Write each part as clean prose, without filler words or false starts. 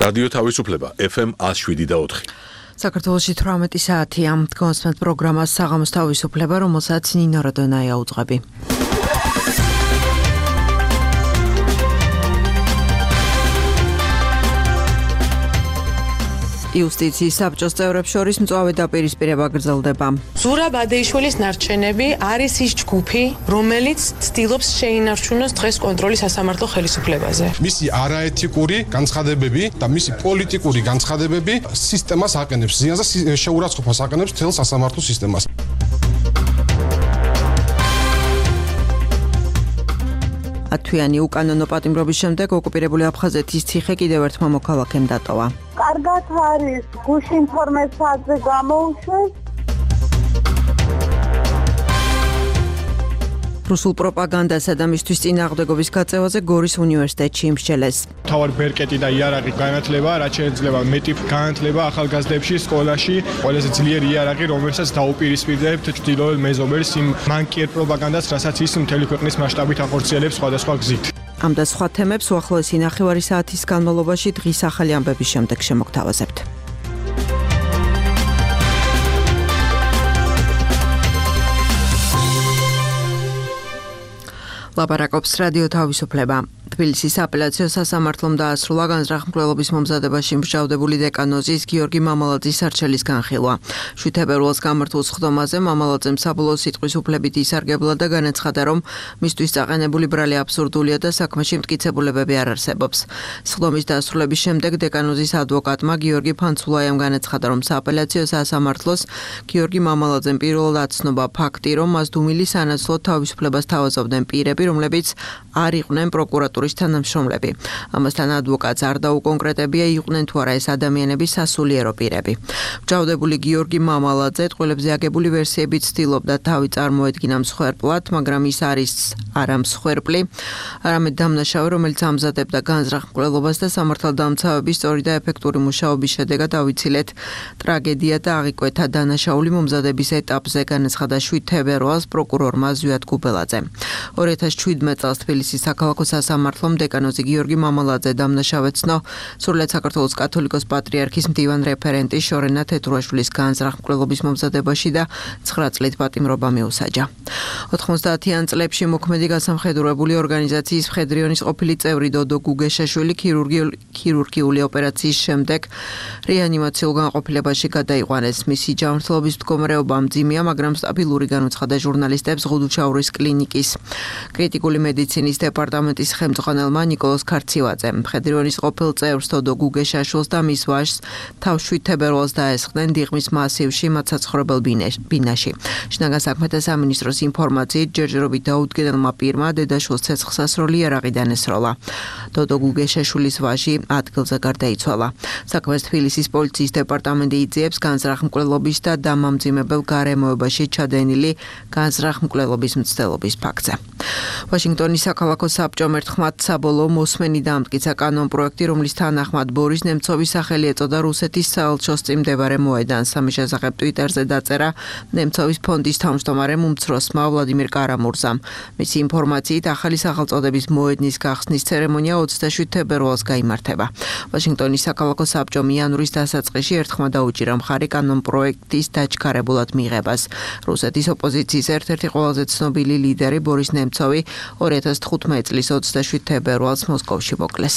რადიო თავისუფლება FM 107.4. საქართველოში 18 საათია. კონსმეთ პროგრამას საღამოს თავისუფლება, რომელსაც ნინო როდონაია უძღვები. იუსტიციის საბჭოს წევრებს შორის მწვავე დაპირისპირება გრძელდება. ზურაბ ადეიშვილის ნარჩენები არის ის ჯგუფი, რომელიც ცდილობს შეინარჩუნოს დღეს კონტროლის სასამართლო ხელისუფლებაზე. მისი არაეთიკური განცხადებები და მისი პოლიტიკური განცხადებები სისტემას აყენებს, ზიანს და შეურაცხყოფას აყენებს მთელ სასამართლო სისტემას. ათვიანი უკანონო პატიმრობის შემდეგ ოკუპირებული აფხაზეთის ციხე კიდევ ერთმა მოქალაქემ დატოვა. კარგად არის, გუშინ 12 საათზე გამოუშვეს. რუსულ პროპაგანდასა და მისთვის წინააღმდეგობის გაწევაზე გორის უნივერსიტეტში იმსჯელეს. თავარი ბერკეტი და იარაღი განათლება, რაც შეიძლება მეტი განათლება ახალგაზრდებში სკოლაში, ყველაზე ძლიერი იარაღი, რომელსაც დაუპირისპირდებთ ჩრდილოეთ მეზობელს იმ მანკიერ პროპაგანდას, რასაც ის მთელი ქვეყნის მასშტაბით ახორციელებს სხვადასხვა გზით. ამ და სხვა თემებს უახლოესი ნახევარი საათის განმავლობაში დღის ახალი ამბების შემდეგ შემოგთავაზებთ. ლაპარაკობს რადიო თავისუფლება. თბილისის აპელაციო სასამართლომ დაასრულა განზრახმკვლელობის მომზადებაში მსჯავრდებული დეკანოზის გიორგი მამალაძის არჩელის განხილვა. 7 თებერვალს გამართულ სხდომაზე მამალაძემ საბოლოო სიტყვის უფლებით ისარგებლა და განაცხადა, რომ მისთვის წაყენებული ბრალი აბსურდულია და საქმეში მტკიცებულებები არ არსებობს. სხდომის დასრულების შემდეგ დეკანოზის ადვოკატმა გიორგი ფანცულაიამ განაცხადა, რომ სააპელაციო სასამართლოს გიორგი მამალაძემ პირველად აცნობა ფაქტი, რომ მას დუმილი სანაცვლოდ თავისუფლებას თავაზობდნენ პირები, რომლებიც არ იყვნენ პროკურატურის თანამშრომლები. ამასთან ადვოკატს არ დაუკონკრეტებია, იყვნენ თუ არა ეს ადამიანები სასულიერო პირები. მსჯავრდებული გიორგი მამალაძე ტყუილებზე აგებული ვერსიებით ცდილობდა თავი წარმოედგინა მსხვერპლად, მაგრამ ის არის არა მსხვერპლი, არამედ დამნაშავე, რომელიც ამზადებდა განზრახმკვლელობას და სამართალდამცავების სწორი და ეფექტური მუშაობის შედეგად ავიცილეთ ტრაგედია და აღიკვეთა დანაშაული მომზადების ეტაპზე, განაცხადა 7 თებერვალს პროკურორმა ზვიად გუბელაძე. 2017 წელს თბილისის საქალაქო სასამართლომ დეკანოზი გიორგი მამალაძე დამნაშავედ ცნო სრულიად საქართველოს კათოლიკოს პატრიარქის მდივან რეფერენტი შორენა თეთრუაშვილის განზრახმკვლელობის მომზადებაში და 9 წლით პატიმრობა მიუსაჯა. 90-იან წლებში მოქმედი გასამხედროებული ორგანიზაციის მხედრიონის ყოფილი წევრი დოდო გუგეშაშვილი ქირურგიული ოპერაციის შემდეგ რეანიმაციულ განყოფილებაში გადაიყვანეს. მისი ჯანმრთელობის მდგომარეობა მძიმეა, მაგრამ სტაბილური განუცხადა ჟურნალისტებს ღუდუჩაურის კლინიკის კრიტიკული მედიცინის დეპარტამენტის ხელმძღვანელმა ნიკოლოზ ქარცივაძემ. მხედრიონის ყოფილ წევრს დოდო გუგეშაშვილს და მის ვაჟს თავს 7 თებერვალს დაესხნენ დიღმის მასივში მათ საცხოვრებელ ბინაში. შინაგან საქმეთა სამინისტროს ინფორმაციით ჯერჯერობით დაუდგენელმა პირმა დედაშვილს ცეცხლსასროლი იარაღი დანესროლა. დოდო გუგეშაშვილის ვაჟი ადგილზე გარდაიცვალა. საქმეს თბილისის პოლიციის დეპარტამენტი იძიებს განზრახმკვლელობის და დამამძიმებელ გარემოებაში ჩადენილი განზრახმკვლელობის მცდელობის ფაქტზე. ვაშინგტონის საქალაქო საბჭომ ერთხმად საბოლოო მოსმენი დაამტკიცა კანონპროექტი, რომლის თანახმად ბორის ნემცოვის სახელი ეწოდა რუსეთის საელჩოს წინ მდებარე მოედანს. ამის შესახებ ტვიტერზე დაწერა ნემცოვის ფონდის თავმჯდომარემ უმცროსმა ვლადიმირ კარამურზამ. მისი ინფორმაციით ახალი სახელწოდების მოედნის გახსნის ცერემონია 27 თებერვალს გაიმართება. ვაშინგტონის საქალაქო საბჭომ იანვრის დასაწყისში ერთხმად დაუჭირა მხარი კანონპროექტის დაჩქარებულად მიღებას. რუსეთის ოპოზიციის ერთ-ერთი ყველაზე ცნობილი ლიდერი ბორის ნემცოვი 2015 წლის 27 თებერვალს მოსკოვში მოკლეს.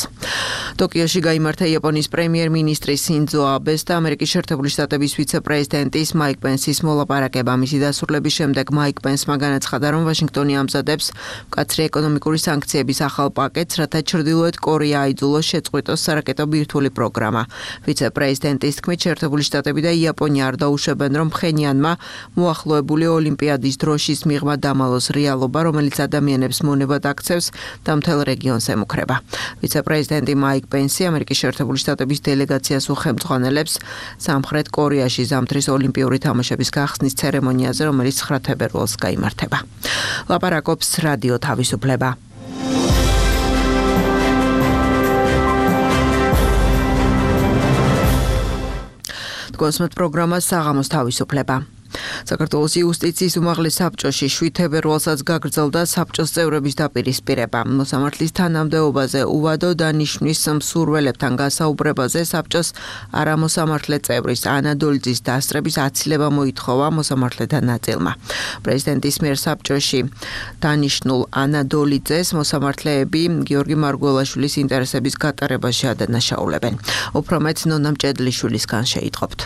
ტოკიოში გაიმართა იაპონიის პრემიერ-მინისტრის სინძო აბეს და ამერიკის შეერთებული შტატების ვიცე-პრეზიდენტის მაიკ პენსის მოლაპარაკება. მისი დასრულების შემდეგ მაიკ პენსმა განაცხადა, რომ ვაშინგტონი ამზადებს მკაცრი ეკონომიკური სანქციების ახალ პაკეტს, რათა ჩრდილოეთ კორეა აიძულოს შეწყვიტოს სარაკეტო ბირთვული პროგრამა. ვიცე-პრეზიდენტის თქმით, შეერთებული შტატები და იაპონია არ დაუშვებენ, რომ ფხენიანმა მოახლოებული ოლიმპიადის დროშის მიღმა დამალოს რეალობა, რომელიც ადამიანებს მონებად აქცევს და მთელ რეგიონს ემუქრება. ვიცე-პრეზიდენტი მაიკ პენსი ამერიკის შეერთებული შტატების დელეგაციას უხელმძღვანელებს სამხრეთ კორეაში ზამთრის ოლიმპიური თამაშების გახსნის ცერემონიაზე, რომელიც 9 თებერვალს გაიმართება. ლაპარაკობს რადიო თავისუფლება. კონსმეთ პროგრამას საღამოს თავისუფლება. საქართველოს იუსტიციის უმაღლეს საბჭოში 7 თებერვალსაც გაგრძელდა საბჭოს წევრების დაპირისპირება. მოსამართლის თანამდებობაზე უვადო დანიშვნის მსურველებთან გასაუბრებაზე საბჭოს არამოსამართლე წევრის ანა დოლიძის დასწრების აცილება მოითხოვა მოსამართლეთა ნაწილმა. პრეზიდენტის მიერ საბჭოში დანიშნულ ანა დოლიძეს მოსამართლეები გიორგი მარგველაშვილის ინტერესების გატარებაში ადანაშაულებენ. უფრო მეტ ნონა მჭედლიშვილისგან შეიტყობთ.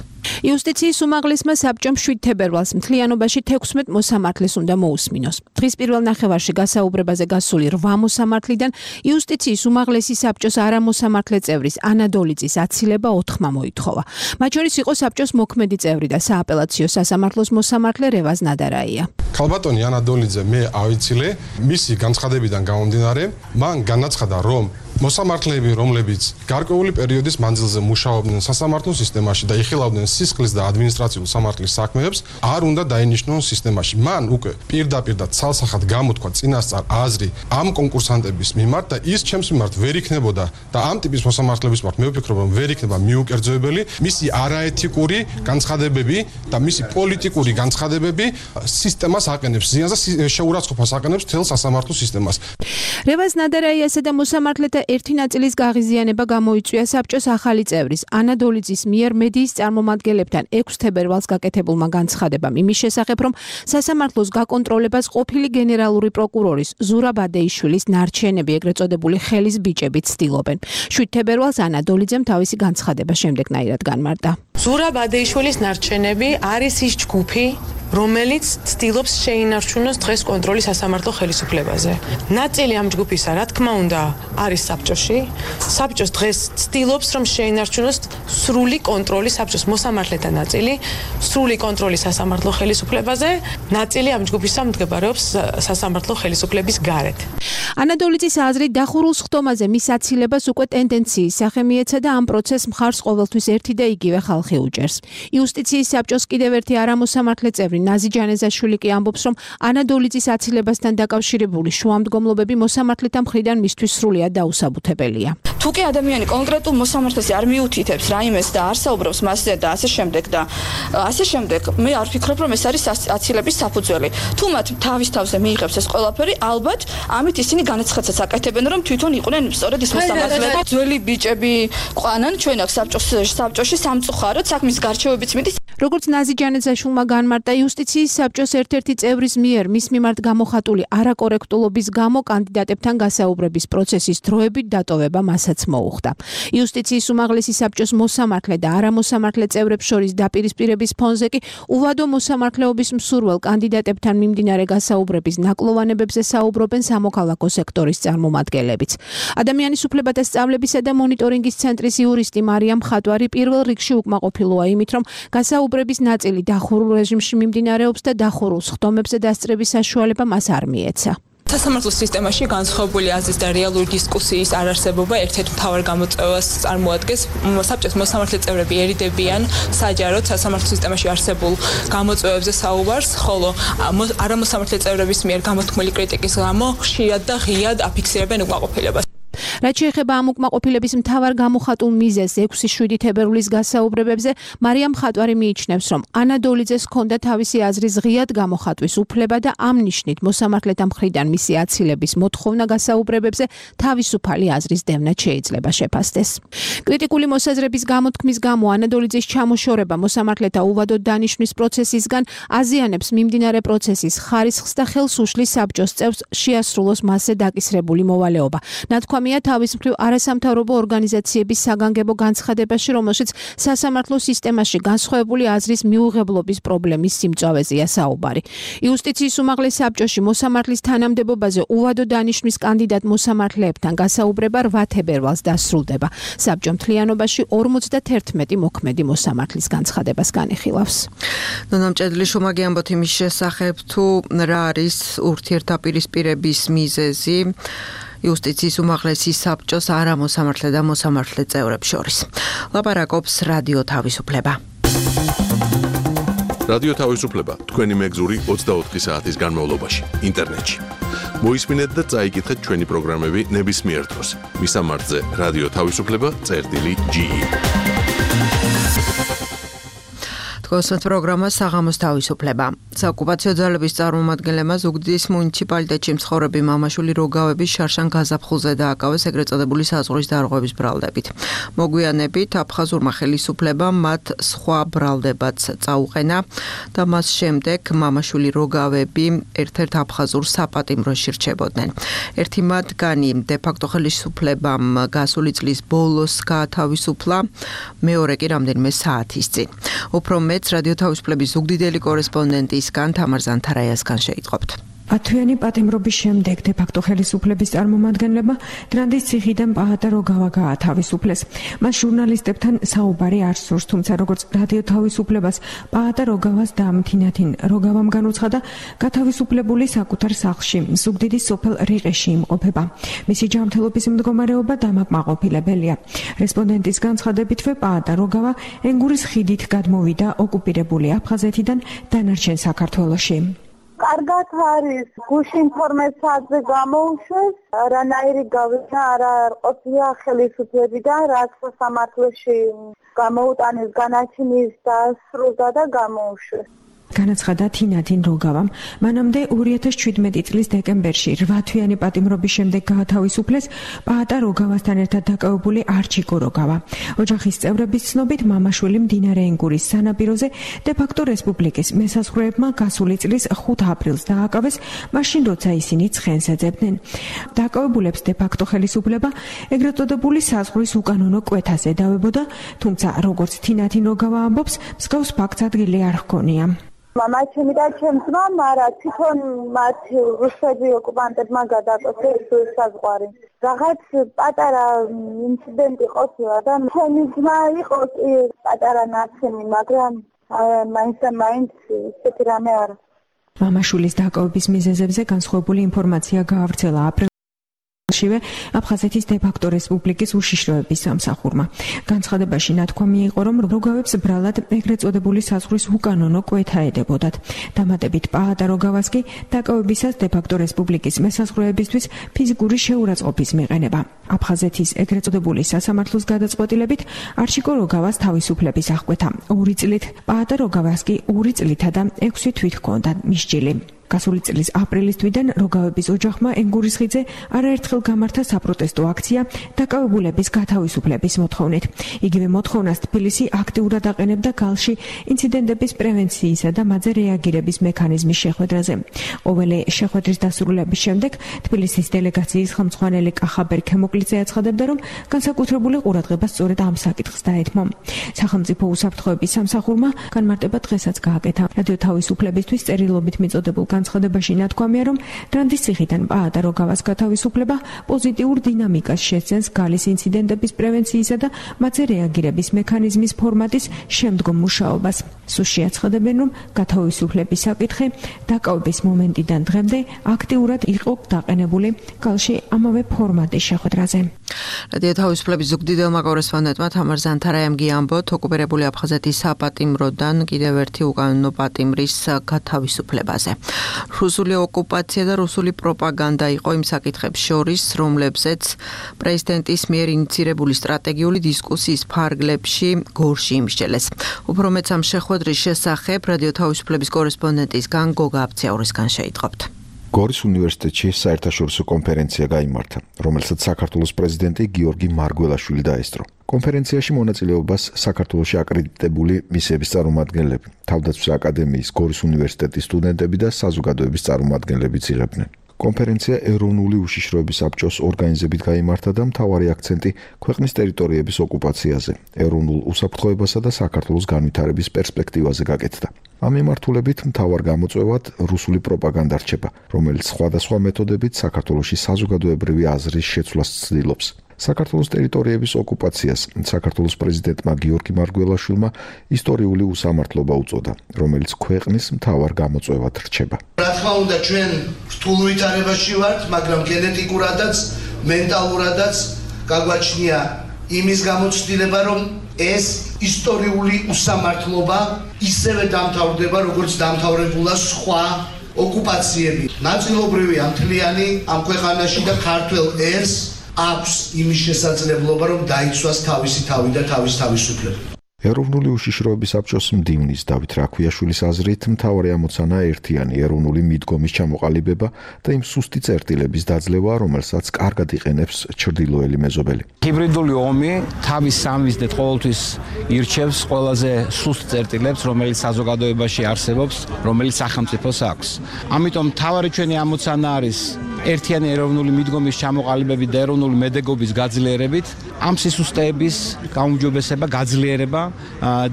იუსტიციის უმაღლესმა საბჭომ 7 თებერვალს მთლიანობაში 16 მოსამართლეს უნდა მოусმინოს. დღის პირველ ნახევარში გასაუბრებაზე გასული 8 მოსამართლიდან იუსტიციის უმაღლესი საბჭოს არამოსამართლე წევრის ანა დოლიძის აცილება 4-მა მოითხოვა. მათ შორის იყო საბჭოს მოქმედი წევრი და სააპელაციო სასამართლოს მოსამართლე რევაზ ნადარაია. ქალბატონი ანა დოლიძე მე ავიცილე, მისი განცხადებიდან გამომდინარე, მან განაცხადა, რომ მოსამართლეები, რომლებიც გარკვეული პერიოდის მანძილზე მუშაობდნენ სასამართლო სისტემაში და იხილავდნენ სისხლის და ადმინისტრაციულ სამართლის საქმეებს, არ უნდა დაინიშნონ სისტემაში. მან უკვე პირდაპირ და ცალსახად გამოთქვა წინასწარ აზრი ამ კონკურსანტების მიმართ და ის ჩემს მიმართ ვერ იქნებოდა და ამ ტიპის მოსამართლეების მიმართ მე ვფიქრობ, რომ ვერ იქნება მიუკერძოებელი მისი არაეთიკური განცხადებები და მისი პოლიტიკური განცხადებები სისტემას აყენებს ზიანს და შეურაცხყოფას აყენებს მთელ სასამართლო სისტემას. რევაზ ნადარაიასა და მოსამართლეთა ერთი ნაწილის გაღიზიანება გამოიწვია საბჭოს ახალი წევრის ანა დოლიძის მიერ მედიის წარმომადგენლებთან 6 თებერვალს გაკეთებულმა განცხადებამ იმის შესახებ, რომ სასამართლოს გაკონტროლებას ყოფილი გენერალური პროკურორის ზურაბ ადეიშვილის ნარჩენები, ეგრეთ წოდებული ხელის ბიჭები ცდილობენ. 7 თებერვალს ანა დოლიძემ თავისი განცხადება შემდეგნაირად განმარტა. ზურაბ ადეიშვილის ნარჩენები არის ის ჯგუფი, რომელიც ცდილობს შეინარჩუნოს დღეს კონტროლი სასამართლო ხელისუფლებაზე. ნაწილი ამ ჯგუფისა, რა თქმა უნდა, არის საბჭოში. საბჭოს დღეს ცდილობს, რომ შეინარჩუნოს სრული კონტროლი საბჭოს მოსამართლეთა ნაწილი, სრული კონტროლი სასამართლო ხელისუფლებაზე, ნაწილი ამ ჯგუფისა მდებარეობს სასამართლო ხელისუფლების გარეთ. ანა დოლიძის აზრით დახურულ სხდომაზე მის აცილებას უკვე ტენდენციის სახე მიეცა და ამ პროცესს მხარს ყოველთვის ერთი და იგივე ხალხი უჭერს. იუსტიციის საბჭოს კიდევ ერთი არამოსამართლე წევრი ნაზი ჯანეზაშვილი კი ამბობს, რომ ანა დოლიძის აცილებასთან დაკავშირებული შუამდგომლობები მოსამართლეთა მხრიდან მისთვის სრულიად დაუსაბუთებელია. თუ კი ადამიანი კონკრეტულ მოსამართლეს არ მიუთითებს რაიმეს და არ საუბრობს მასზე და ასე შემდეგ, მე არ ვფიქრობ, რომ ეს არის აცილების საფუძველი. თუ მათ თავის თავზე მიიღებს ეს ყველაფერი, ალბათ ამით ისინი განაცხადსაც აკეთებენ, რომ თვითონ იყვნენ სწორედ ის მოსამართლეები. ძველი ბიჭები ყვანან ჩვენ აქ საბჭოში სამწუხაროდ საქმის გარჩევებიც მიდის. როგორც ნაზი ჯანეზაშვილმა განმარტა, იუსტიციის საბჭოს ერთ-ერთი წევრის მიერ მის მიმართ გამოხატული არაკორექტულობის გამო კანდიდატებთან გასაუბრების პროცესის დროებით დატოვება მასაც მოუხდა. იუსტიციის უმაღლესი საბჭოს მოსამართლე და არამოსამართლე წევრებს შორის დაპირისპირების ფონზე კი უვადო მოსამართლეობის მსურველ კანდიდატებთან მიმდინარე გასაუბრების ნაკლოვანებებზე საუბრობენ სამოქალაქო სექტორის წარმომადგენლებიც. ადამიანის უფლებათა სწავლებისა და მონიტორინგის ცენტრის იურისტი მარიამ ხატვარი პირველ რიგში უკმაყოფილოა იმით, რომ გასაუბრების ნაწილი დახურულ რეჟიმში მიმდინარეობს და დახურულ სხდომებზე დასწრების საშუალება მას არ მიეცა. სასამართლო სისტემაში განსხვავებული აზრის და რეალური დისკუსიის არარსებობა ერთ-ერთ მთავარ გამოწვევას წარმოადგენს. საბჭოს მოსამართლე წევრები ერიდებიან საჯაროდ სასამართლო სისტემაში არსებულ გამოწვევებზე საუბარს, ხოლო არამოსამართლე წევრების მიერ გამოთქმული კრიტიკის გამო ხშირად და ღიად აფიქსირებენ უკმაყოფილებას. რაც შეეხება ამ უკმაყოფილების მთავარ გამოხატულ მიზეზს 6-7 თებერვლის გასაუბრებებზე, მარიამ ხატვარი მიიჩნევს, რომ ანა დოლიძეს ჰქონდა თავისი აზრის ღიად გამოხატვის უფლება და ამ ნიშნით მოსამართლეთა მხრიდან მისი აცილების მოთხოვნა გასაუბრებებზე თავისუფალი აზრის დევნა შეიძლება შეფასდეს. კრიტიკული მოსაზრების გამოთქმის გამო ანა დოლიძის ჩამოშორება მოსამართლეთა უვადოდ დანიშვნის პროცესისგან აზიანებს მიმდინარე პროცესის ხარისხს და ხელს უშლის საბჭოს წევრს შეასრულოს მასზე დაკისრებული მოვალეობა. ნათქვამია თავის მხრივ არასამთავრობო ორგანიზაციების საგანგებო განცხადებაში, რომელშიც სასამართლო სისტემაში განსხვავებული აზრის მიუღებლობის პრობლემის სიმწავეზეა საუბარი. იუსტიციის უმაღლეს საბჭოში მოსამართლის თანამდებობაზე უვადო დანიშვნის კანდიდატ მოსამართლეებთან გასაუბრება 8 თებერვალს დასრულდება. საბჭო მთლიანობაში 51 მოქმედი მოსამართლის განცხადებას განიხილავს. ნონა მჭედლიშვილმა ამბობთ იმის შესახებ, თუ რა არის ურთიერთდაპირისპირების მიზეზი იუსტიციის უმაღლესი საბჭოს არამოსამართლე და მოსამართლე წევრებს შორის. ლაპარაკობს რადიო თავისუფლება. რადიო თავისუფლება თქვენი მეგზური 24 საათის განმავლობაში ინტერნეტში. მოისმინეთ და წაიკითხეთ ჩვენი პროგრამები ნებისმიერ დროს. მისამართზე რადიო თავისუფლება.ge გოსმოთ პროგრამა საღამოს თავისუფლება. საოკუპაციო ძალების წარმომადგენლებმა ზუგდიდის მუნიციპალიტეტში მცხოვრები მამა-შვილი როგავების შარშან გაზაფხულზე დააკავეს ეგრეთ წოდებული საზღვრის დარღვევის ბრალდებით. მოგვიანებით აფხაზურმა ხელისუფლებამ მათ სხვა ბრალდებაც წაუყენა და მას შემდეგ მამა-შვილი როგავები ერთ-ერთ აფხაზურ საპატიმროში რჩებოდნენ. ერთი მათგანი დე-ფაქტო ხელისუფლებამ გასული წლის ბოლოს გაათავისუფლა, მეორე კი რამდენიმე საათის წინ. უფრო მეც რადიო თავისუფლების ზუგდიდელი კორესპონდენტისგან თამარ ზანთარაიასგან შეიტყობთ. ათვიანი პატიმრობის შემდეგ დე-ფაქტო ხელისუფლების წარმომადგენლებმა დრანდის ციხიდან პაატა როგავა გაათავისუფლეს. მას ჟურნალისტებთან საუბარი არ სურს, თუმცა როგორც რადიო თავისუფლებას პაატა როგავას და თინათინ როგავამ განუცხადა, გათავისუფლებული საკუთარ სახლში, ზუგდიდის სოფელ რიყეში იმყოფება. მისი ჯანმრთელობის მდგომარეობა დამაკმაყოფილებელია. რესპონდენტის განცხადებითვე პაატა როგავა ენგურის ხიდით გადმოვიდა ოკუპირებული აფხაზეთიდან დანარჩენ საქართველოში. კარგად არის გუშინ 12 საათზე გამოუშვეს, რანაირი გავინა არა ყოფილა ხელისუფლებიდან, რაც სასამართლოში გამოუტანეს განაჩენის დასრულდა და გამოუშვეს. განაცხადა თინათინ როგავამ. მანამდე 2017 წლის დეკემბერში 8-თვიანი პატიმრობის შემდეგ გაათავისუფლეს პაატა როგავასთან ერთად დაკავებული არჩიკო როგავა. ოჯახის წევრების ცნობით მამა-შვილი მდინარე ენგურის სანაპიროზე დე-ფაქტო რესპუბლიკის მესაზღვრეებმა გასული წლის 5 აპრილს დააკავეს, მაშინ როცა ისინი ცხენს ეძებდნენ. დაკავებულებს დე-ფაქტო ხელისუფლება ეგრეთ წოდებული საზღვრის უკანონო კვეთას ედავებოდა, თუმცა როგორც თინათინ როგავა ამბობს, მსგავს ფაქტს ადგილი არ ჰქონია. მამაჩემი და ჩემს მამამ არა თვითონ მათ რუსები ოკუპანტებმა გადააკეთეს საზღვარი. რაღაც პატარა ინციდენტი ყოფილა და ჩემი ძმა იყო პატარა ნაცემი, მაგრამ მაინც ისეთი რამე არა. მამა-შვილის დაკავების მიზეზებზე განსხვავებული ინფორმაცია გაავრცელა აპრილშივე აფხაზეთის დე-ფაქტო რესპუბლიკის უშიშროების სამსახურმა. განცხადებაში ნათქვამი იყო, რომ როგავებს ბრალად ეგრეთ წოდებული საზღვრის უკანონო კვეთა ედებოდათ. დამატებით პაატა როგავას კი დაკავებისას დე-ფაქტო რესპუბლიკის მესაზღვრეებისთვის ფიზიკური შეურაცხყოფის მიყენება. აფხაზეთის ეგრეთ წოდებული სასამართლოს გადაწყვეტილებით არჩიკო როგავას თავისუფლების აღკვეთა 2 წლით, პაატა როგავას კი 2 წლითა და 6 თვით ჰქონდა მისჯილი. გასული წლის აპრილის თვიდან როგავების ოჯახმა ენგურის ხიდზე არაერთხელ გამართა საპროტესტო აქცია დაკავებულების გათავისუფლების მოთხოვნით. იგივე მოთხოვნას თბილისი აქტიურად აყენებდა გალში ინციდენტების პრევენციისა და მათზე რეაგირების მექანიზმის შეხვედრაზე. ყოველი შეხვედრის დასრულების შემდეგ თბილისის დელეგაციის ხელმძღვანელი კახაბერ ქემოკლიძე აცხადებდა, რომ განსაკუთრებული ყურადღება სწორედ ამ საკითხს დაეთმო. სახელმწიფო უსაფრთხოების სამსახურმა განმარტება დღესაც გააკეთა. რადიო თავისუფლებისთვის წერილობით მიწოდებულ განცხადებაში ნათქვამია, რომ დრანდის ციხიდან პაატა როგავას გათავისუფლება პოზიტიურ დინამიკას შეცდენს გალის ინციდენტების პრევენციისა და მათზე რეაგირების მექანიზმის ფორმატის შემდგომ მუშაობას. სუსში აცხადებენ, რომ გათავისუფლების საკითხი დაკავების მომენტიდან დღემდე აქტიურად იყო დაყენებული გალში ამავე ფორმატის შეხვედრაზე. რადიო თავისუფლების ზუგდიდელმა კორესპონდენტმა თამარ ზანთარაიამ გიამბოთ, ოკუპირებული აფხაზეთის საპატიმროდან კიდევ ერთი უკანონო პატიმრის გათავისუფლებაზე. რუსული ოკუპაცია და რუსული პროპაგანდა იყო იმ საკითხებს შორის, რომლებზეც პრეზიდენტის მიერ ინიცირებული სტრატეგიული დისკუსიის ფარგლებში გორში იმსჯელეს. უფრო მეც ამ შეხვედრის შესახებ რადიო თავისუფლების კორესპონდენტისგან გოგა აბციაურისგან შეიტყობთ. გორის უნივერსიტეტში საერთაშორისო კონფერენცია გაიმართა, რომელსაც საქართველოს პრეზიდენტი გიორგი მარგველაშვილი დაესწრო. კონფერენციაში მონაწილეობას საქართველოში აკრედიტებული მისიების წარმომადგენლები, თავდაცვის აკადემიის, გორის უნივერსიტეტის სტუდენტები და საზოგადოების წარმომადგენლებიც იღებდნენ. კონფერენცია ეროვნული უშიშროების საბჭოს ორგანიზებით გაიმართა და მთავარი აქცენტი ქვეყნის ტერიტორიების ოკუპაციაზე, ეროვნულ უსაფრთხოებასა და საქართველოს განვითარების პერსპექტივაზე გაკეთდა. ამ მიმართულებით მთავარ გამოწვევად რუსული პროპაგანდა რჩება, რომელიც სხვადასხვა მეთოდებით საქართველოში საზოგადოებრივი აზრის შეცვლას ცდილობს. საქართველოს ტერიტორიების ოკუპაციას საქართველოს პრეზიდენტმა გიორგი მარგველაშვილმა ისტორიული უსამართლობა უწოდა, რომელიც ქვეყნის მთავარ გამოწვევად რჩება. რა თქმა უნდა, ჩვენ რთულ ვითარებაში ვართ, მაგრამ გენეტიკურადაც, მენტალურადაც გაგვაჩნია იმის გამოცდილება, რომ ეს ისტორიული უსამართლობა ისევე დამთავრდება, როგორც დამთავრებულა სხვა ოკუპაციები. ნაწილობრივი ამთლიანი ამ ქვეყანაში და ქართველ ერს აქვს იმის შესაძლებლობა, რომ დაიცვას თავისი თავი და თავის თავისუფლება. ეროვნული უშიშროების საბჭოს მდივნის დავით რაქვიაშვილის აზრით მთავარი ამოცანა ერთიანი ეროვნული მიდგომის ჩამოყალიბება და იმ სუსტი წერტილების დაძლევა, რომელსაც კარგად იყენებს ჩრდილოელი მეზობელი. ჰიბრიდული ომი თავის სამიზნედ ყოველთვის ირჩევს ყველაზე სუსტ წერტილებს, რომელიც საზოგადოებაში არსებობს, რომელიც სახელმწიფოს აქვს. ამიტომ მთავარი ჩვენი ამოცანა არის ერთიანი ეროვნული მიდგომის ჩამოყალიბებით და ეროვნული მედეგობის გაძლიერებით, ამ სისუსტეების გაუმჯობესება, გაძლიერება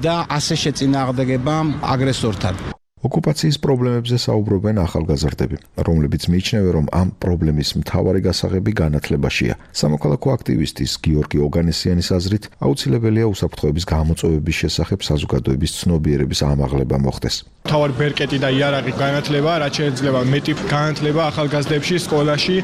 და ასე შეწინააღმდეგება აგრესორთან. ოკუპაციის პრობლემებზე საუბრობენ ახალგაზრდები, რომლებიც მიიჩნევენ, რომ ამ პრობლემის მთავარი გასაღები განათლებაშია. სამოქალაქო აქტივისტის გიორგი ოგანესიანის აზრით, აუცილებელია უსაფრთხოების გამოწვევების შესახებ საზოგადოების ცნობიერების ამაღლება მოხდეს. მთავარი ბერკეტი და იარაღი განათლება, რაც შეიძლება მეტი განათლება ახალგაზრდებში სკოლაში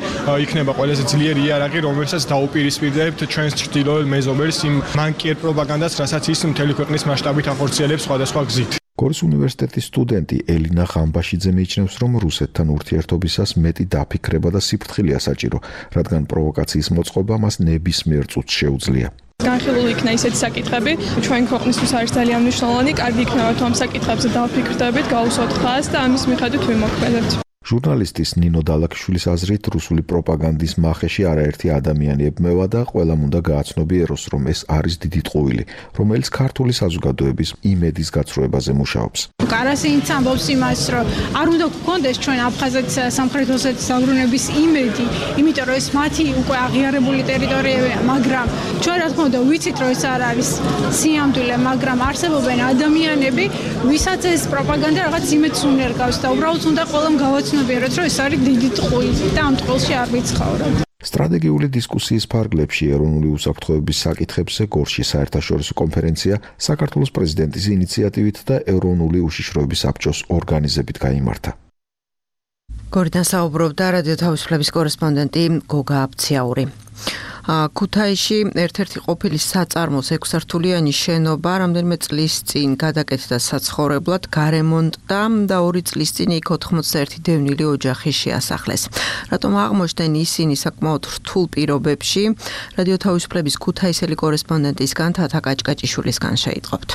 იქნება ყველაზე ძლიერი იარაღი, რომელსაც დაუპირისპირდებთ ჩვენს ჩრდილოელ მეზობელს იმ მანკიერ პროპაგანდას, რასაც ის მთელი ქვეყნის მასშტაბით ახორციელებს სხვადასხვა გზით. გორის უნივერსიტეტის სტუდენტი ელინა ღამბაშიძე მიიჩნევს, რომ რუსეთთან ურთიერთობისას მეტი დაფიქრება და სიფრთხილეა საჭირო, რადგან პროვოკაციის მოწყობა მას ნებისმიერ წუთს შეუძლია. განხილული იქნა ისეთი საკითხები, ჩვენ ქვეყნისთვის არის ძალიან მნიშვნელოვანი, კარგი იქნება თუ ამ საკითხებზე დავფიქრდებით, გავუსვათ ხაზს და ამის მიხედვით ვიმოქმედებთ. ჟურნალისტის ნინო დალაქიშვილის აზრით, რუსული პროპაგანდის მახეში არაერთი ადამიანი ებმევა და ყველამ უნდა გააცნობიეროს, რომ ეს არის დიდი ტყუილი, რომელიც ქართული საზოგადოების იმედის გაცრუებაზე მუშაობს. კარასინიც ამბობს იმას, რომ არ უნდა გქონდეს ჩვენ აფხაზეთის სამხრეთ ოსეთის დაბრუნების იმედი, იმიტომ რომ ეს მათი უკვე აღიარებული ტერიტორიებია, მაგრამ ჩვენ რა თქმა უნდა ვიცით, რომ ეს არ არის სიამდვილე, მაგრამ არსებობენ ადამიანები, ვისაც ეს პროპაგანდა რაღაც იმედს უნერგავს და უბრალოდ უნდა ყველამ გავაცნობიეროს, რომ ეს არის დიდი ტყუილი და ამ ტყუილში არ ვიცხოვროთ. სტრატეგიული დისკუსიის ფარგლებში ეროვნული უსაფრთხოების საკითხებზე გორში საერთაშორისო კონფერენცია საქართველოს პრეზიდენტის ინიციატივით და ეროვნული უშიშროების საბჭოს ორგანიზებით გაიმართა. გორიდან საუბრობდა რადიო თავისუფლების კორესპონდენტი გოგა აბციაური. ქუთაისში ერთ-ერთი ყოფილი საწარმოს 6 სართულიანი შენობა რამდენიმე წლის წინ გადაკეთდა საცხოვრებლად, გარემონტდა და 2 წლის წინ იქ 91 დევნილი ოჯახი შეასახლეს. რატომ აღმოჩნდნენ ისინი საკმაოდ რთულ პირობებში? რადიო თავისუფლების ქუთაისელი კორესპონდენტისგან თათა კაჭკაჭიშვილისგან შეიტყობთ.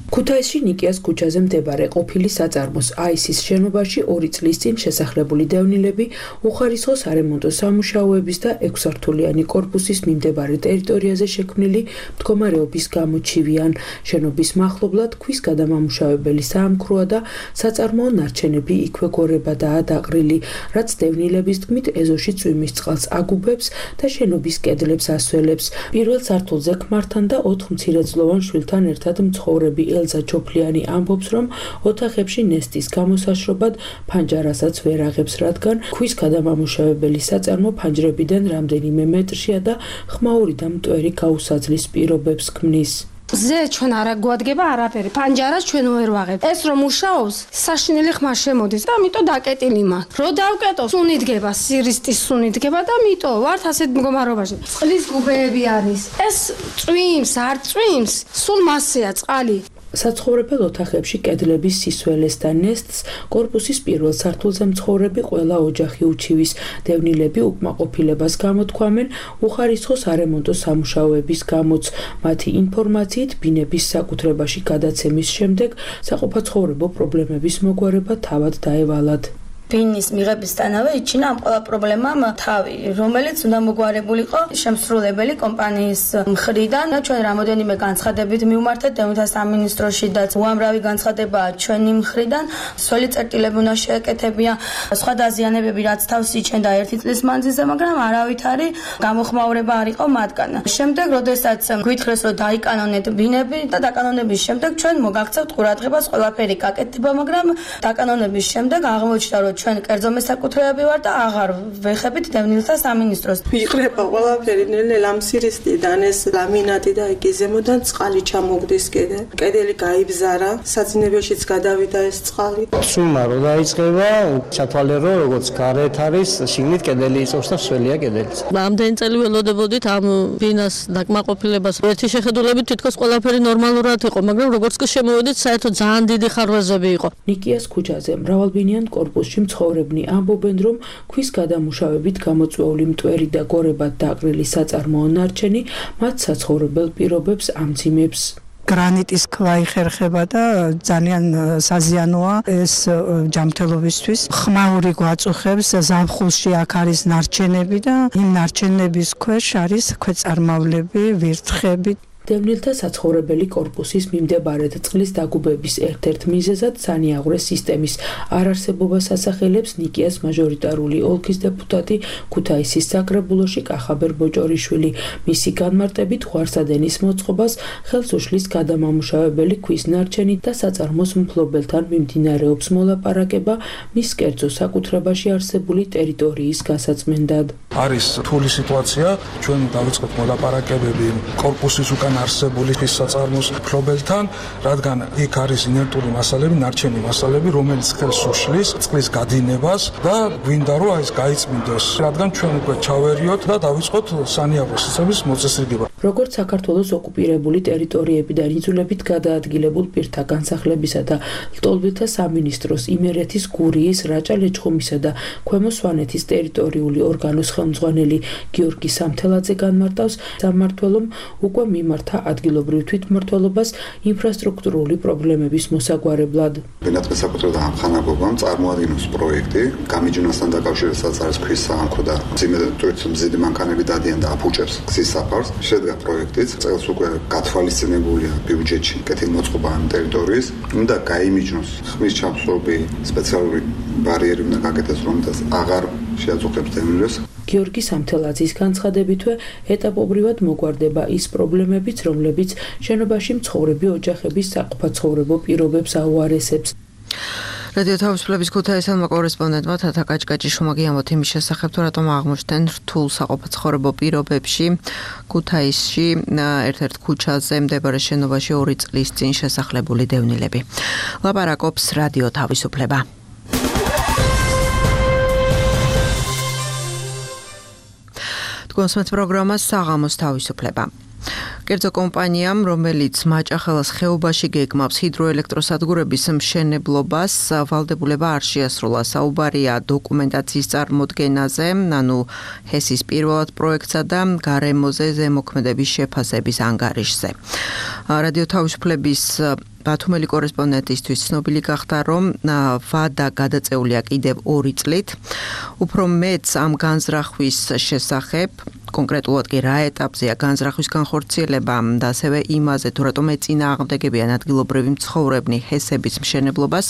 ქუთაისში ნიკიას ქუჩაზე მდებარე ყოფილი საწარმოს აისის შენობაში 2 წლის წინ შესახლებული დევნილები უხარისხო სარემონტო სამუშაოების და 6 სართულიანი კორპუსის მიმდებარე ტერიტორიაზე შექმნილი მდგომარეობის გამო ჩივიან. შენობის მახლობლად ქვის გადამამუშავებელი საამქროა და საწარმოო ნარჩენები იქვე გორებადაა დაყრილი, რაც დევნილების თქმით ეზოში წვიმის წყალს აგუბებს და შენობის კედლებს ასველებს. პირველ სართულზე ქმართან და 4 მცირეწლოვან შვილთან ერთად მცხოვრები ელზა ჯოფლიანი ამბობს, რომ ოთახებში ნესტის გამოსაშრობად ფანჯარასაც ვერ აღებს, რადგან ქვის გადამამუშავებელი საწარმო ფანჯრებიდან რამდენიმე მეტრშია და ხმაური და მტვერი გაუსაძლის პირობებს ქმნის. ზე ჩვენ არა გვადგება არაფერი, ფანჯარას ჩვენ ვერ ვაღებთ. ეს რომ მუშაობს, საშინელი ხმა შემოდის და ამიტომ დაკეტილი მაქვს. რო დავკეტო, სუნი დგება, სირისტის სუნი დგება და ამიტომ ვართ ასეთ მდგომარეობაში. წყლის გუბეები არის. ეს წვიმს, არ წვიმს, სულ მასეა წყალი. საცხოვრებელ ოთახებში კედლების სისველეს და ნესტს კორპუსის პირველ სართულზე მცხოვრები ყველა ოჯახი უჩივის. დევნილები უკმაყოფილებას გამოთქვამენ უხარისხო სარემონტო სამუშაოების გამოც. მათი ინფორმაციით ბინების საკუთრებაში გადაცემის შემდეგ საყოფაცხოვრებო პრობლემების მოგვარება თავად დაევალათ. ბინის მიღებისთანავე იჩინა ამ ყველა პრობლემამ თავი, რომელიც უნდა მოგვარებულიყო შემსრულებელი კომპანიის მხრიდან. ჩვენ რამოდენიმე განცხადებით მივმართეთ დევნილთა სამინისტროში და უამრავი განცხადებაა ჩვენი მხრიდან. სველი წერტილები უნდა შეეკეთებია, სხვა დაზიანებები რაც თავს იჩენდა 1 წლის მანძილზე, მაგრამ არავითარი გამოხმაურება არ იყო მათგან. შემდეგ, როდესაც გვითხრეს, რომ დაიკანონეთ ბინები და დაკანონების შემდეგ ჩვენ მოგაქცევთ ყურადღებას ყველაფერი გაკეთდება, მაგრამ დაკანონების შემდეგ აღმოჩნდა, რომ ჩვენ კერძო მესაკუთრეები ვარ და აღარ ვეხებით დევნილთა სამინისტროს. ვიყრება ყველაფერი ნელ-ნელა მცირისტიდან ეს ლამინატი და იგი ზემოდან წყალი ჩამოგდის კიდე. კედელი გაიბზარა, საძინებელშიც გადავიდა ეს წყალი. წვიმა რო დაიწყება, ჩათვალე რომ როგორც გარეთ არის, შიგნით კედელი იწევს და სველია კედელიც. ამდენი წელი ველოდებოდით ამ ბინას დაკმაყოფილებას. ერთი შეხედულებით თითქოს ყველაფერი ნორმალურად იყო, მაგრამ როგორც კი შემოვედით, საერთოდ ძალიან დიდი ხარვეზები იყო. ნიკიას ქუჩაზე მრავალბინიან კორპუსში მცხოვრებნი ამბობენ, რომ ქვის გადამუშავებით გამოწვეული მტვერი და გორებად დაყრილი საწარმოო ნარჩენი მათ საცხოვრებელ პირობებს ამძიმებს. გრანიტის ქვა იხერხება და ძალიან საზიანოა ეს ჯანმრთელობისთვის. ხმაური გვაწუხებს ზაფხულში აქ არის ნარჩენები და იმ ნარჩენების ქვეშ არის ქვეწარმავლები, ვირთხები. დევნილთა საცხოვრებელი კორპუსის მიმდებარედ წყლის დაგუბების ერთ-ერთ მიზეზად სანიაღვრე სისტემის არარსებობას ასახელებს ნიკიას მაჟორიტარული ოლქის დეპუტატი ქუთაისის საკრებულოში კახაბერ ბოჭორიშვილი. მისი განმარტებით ღვარსადენის მოწყობას ხელს უშლის გადამამუშავებელი ქვის ნარჩენი და საწარმოს მფლობელთან მიმდინარეობს მოლაპარაკება მის კერძო საკუთრებაში არსებული ტერიტორიის გასაწმენდად. არის რთული სიტუაცია, ჩვენ დავიწყეთ მოლაპარაკებები კორპუსის უკან არსებული ხის საწარმოს მფლობელთან, რადგან იქ არის ინერტული მასალები, ნარჩენი მასალები, რომელიც ხელს უშლის წყლის გადინებას და გვინდა რომ ეს გაიწმინდოს, რადგან ჩვენ უკვე ჩავერიოთ და დავიწყოთ სანიაღვრე სისტემის მოწესრიგება. როგორც საქართველოს ოკუპირებული ტერიტორიებიდან იძულებით გადაადგილებულ პირთა განსახლებისა და ლტოლვილთა სამინისტროს იმერეთის, გურიის, რაჭა-ლეჩხუმისა და ქვემო სვანეთის ტერიტორიული ორგანოს ხელმძღვანელი გიორგი სამთელაძე განმარტავს, სამმართველომ უკვე მიმართა ადგილობრივ თვითმმართველობას ინფრასტრუქტურული პრობლემების მოსაგვარებლად. ბენატყის საკუთრებდა ამხანაგობამ წარმოადგინოს პროექტი, გამიჯნასთან დაკავშირებაც არის ქვის საამქრო და მზიდი მანქანები დადიან და აფუჭებს გზის საფარს. შედგა პროექტიც, წელს უკვე გათვალისწინებულია ბიუჯეტში კეთილმოწყობა ამ ტერიტორიის, უნდა გაიმიჯნოს ხმის ჩამსხვრობი სპეციალური ბარიერი უნდა გაკეთდეს, რომელსაც აღარ შეაწუხებს დევნილებს. გიორგი სამთელაძის განცხადებითვე ეტაპობრივად მოგვარდება ის პრობლემებიც, რომლებიც შენობაში მცხოვრები ოჯახების საყოფაცხოვრებო პირობებს აუარესებს. რადიო თავისუფლების ქუთაისელმა კორესპონდენტმა თათა კაჭკაჭიშვილმა გიამბოთ იმის შესახებ, თუ რატომ აღმოჩნდნენ რთულ საყოფაცხოვრებო პირობებში ქუთაისში ერთ-ერთ ქუჩაზე მდებარე შენობაში 2 წლის წინ შესახლებული დევნილები. ლაპარაკობს რადიო თავისუფლება. კონსმეთ პროგრამა საღამოს თავისუფლება. კერძო კომპანიამ, რომელიც მაჭახელას ხეობაში გეგმავს ჰიდროელექტროსადგურების მშენებლობას, ვალდებულება არ შეასრულა. საუბარია დოკუმენტაციის წარმოდგენაზე, ანუ ჰესის პირველად პროექტსა და გარემოზე ზემოქმედების შეფასების ანგარიშზე. რადიო თავისუფლების ბათუმელი კორესპონდენტისთვის ცნობილი გახდა, რომ ვადა გადაწეულია კიდევ 2 წლით. უფრო მეც ამ განზრახვის შესახებ, კონკრეტულად კი რა ეტაპზეა განზრახვის განხორციელება და ასევე იმაზე, თუ რატომ ეწინააღმდეგებიან ადგილობრივი მცხოვრებნი ჰესების მშენებლობას,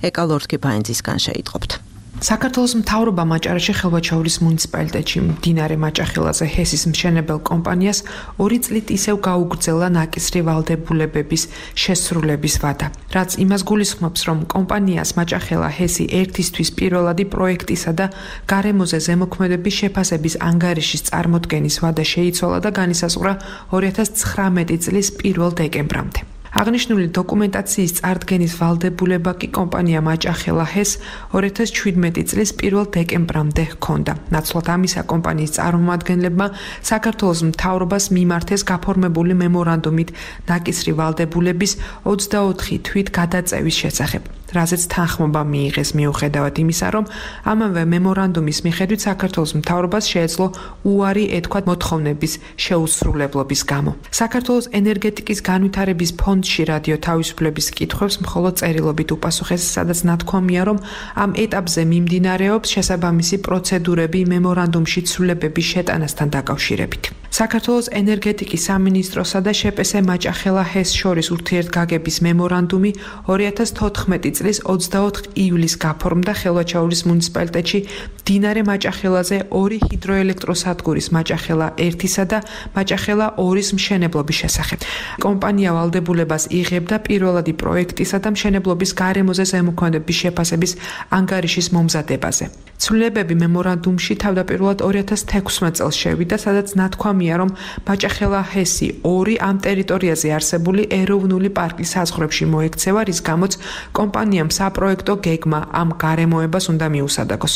ეკალორთკი ფაინცისგან შეიტყობთ. საქართველოს მთავრობა მაჭარეში ხელვაჩაურის მუნიციპალიტეტში მდინარე მაჭახელაზე ჰესის მშენებელ კომპანიას 2 წლით ისევ გაუგრძელა ნაკისრი ვალდებულებების შესრულების ვადა. რაც იმას გულისხმობს, რომ კომპანიას მაჭახელა ჰესი ერთისთვის პირველადი პროექტისა და გარემოზე ზემოქმედების შეფასების ანგარიშის წარმოდგენის ვადა შეიცვალა და განისაზღვრა 2019 წლის 1 დეკემბრამდე. აღნიშნული დოკუმენტაციის წარდგენის ვალდებულება კი კომპანია მაჭახელა ჰეს 2017 წლის 1 დეკემბრამდე ჰქონდა. ნაცვლად ამისა კომპანიის წარმომადგენლებმა საქართველოს მთავრობას მიმართეს გაფორმებული მემორანდუმით ნაკისრი ვალდებულების 24 თვით გადაწევის შესახებ. რაზეც თანხმობა მიიღეს მიუხედავად იმისა, რომ ამავე მემორანდუმის მიხედვით საქართველოს მთავრობას შეეძლო უარი ეთქვა მოთხოვნების შეუსრულებლობის გამო. საქართველოს ენერგეტიკის განვითარების ფონდში რადიო თავისუფლების კითხვებს მხოლოდ წერილობით უპასუხეს, სადაც ნათქვამია, რომ ამ ეტაპზე მიმდინარეობს შესაბამისი პროცედურები მემორანდუმში ცვლილებების შეტანასთან დაკავშირებით. საქართველოს ენერგეტიკის სამინისტროსა და შპს მაჭახელა ჰეს შორის ურთიერთგაგების მემორანდუმი 2014 წლის 24 ივლისს გაფორმდა ხელვაჩაურის მუნიციპალიტეტში მდინარე მაჭახელაზე 2 ჰიდროელექტროსადგურის მაჭახელა 1-სა და მაჭახელა 2-ის მშენებლობის შესახებ. კომპანია ვალდებულებას იღებდა პირველადი პროექტისა და მშენებლობის გარემოზე ზემოქმედების შეფასების ანგარიშის მომზადებაზე. ცვლილებები მემორანდუმში თავდაპირველად 2016 წელს შევიდა, სადაც ნათქვამია, რომ მაჭახელა ჰესი 2 ამ ტერიტორიაზე არსებული ეროვნული პარკის საზღვრებში მოექცევა, რის გამოც კომპანიამ საპროექტო გეგმა ამ გარემოებას უნდა მიუსადაგოს.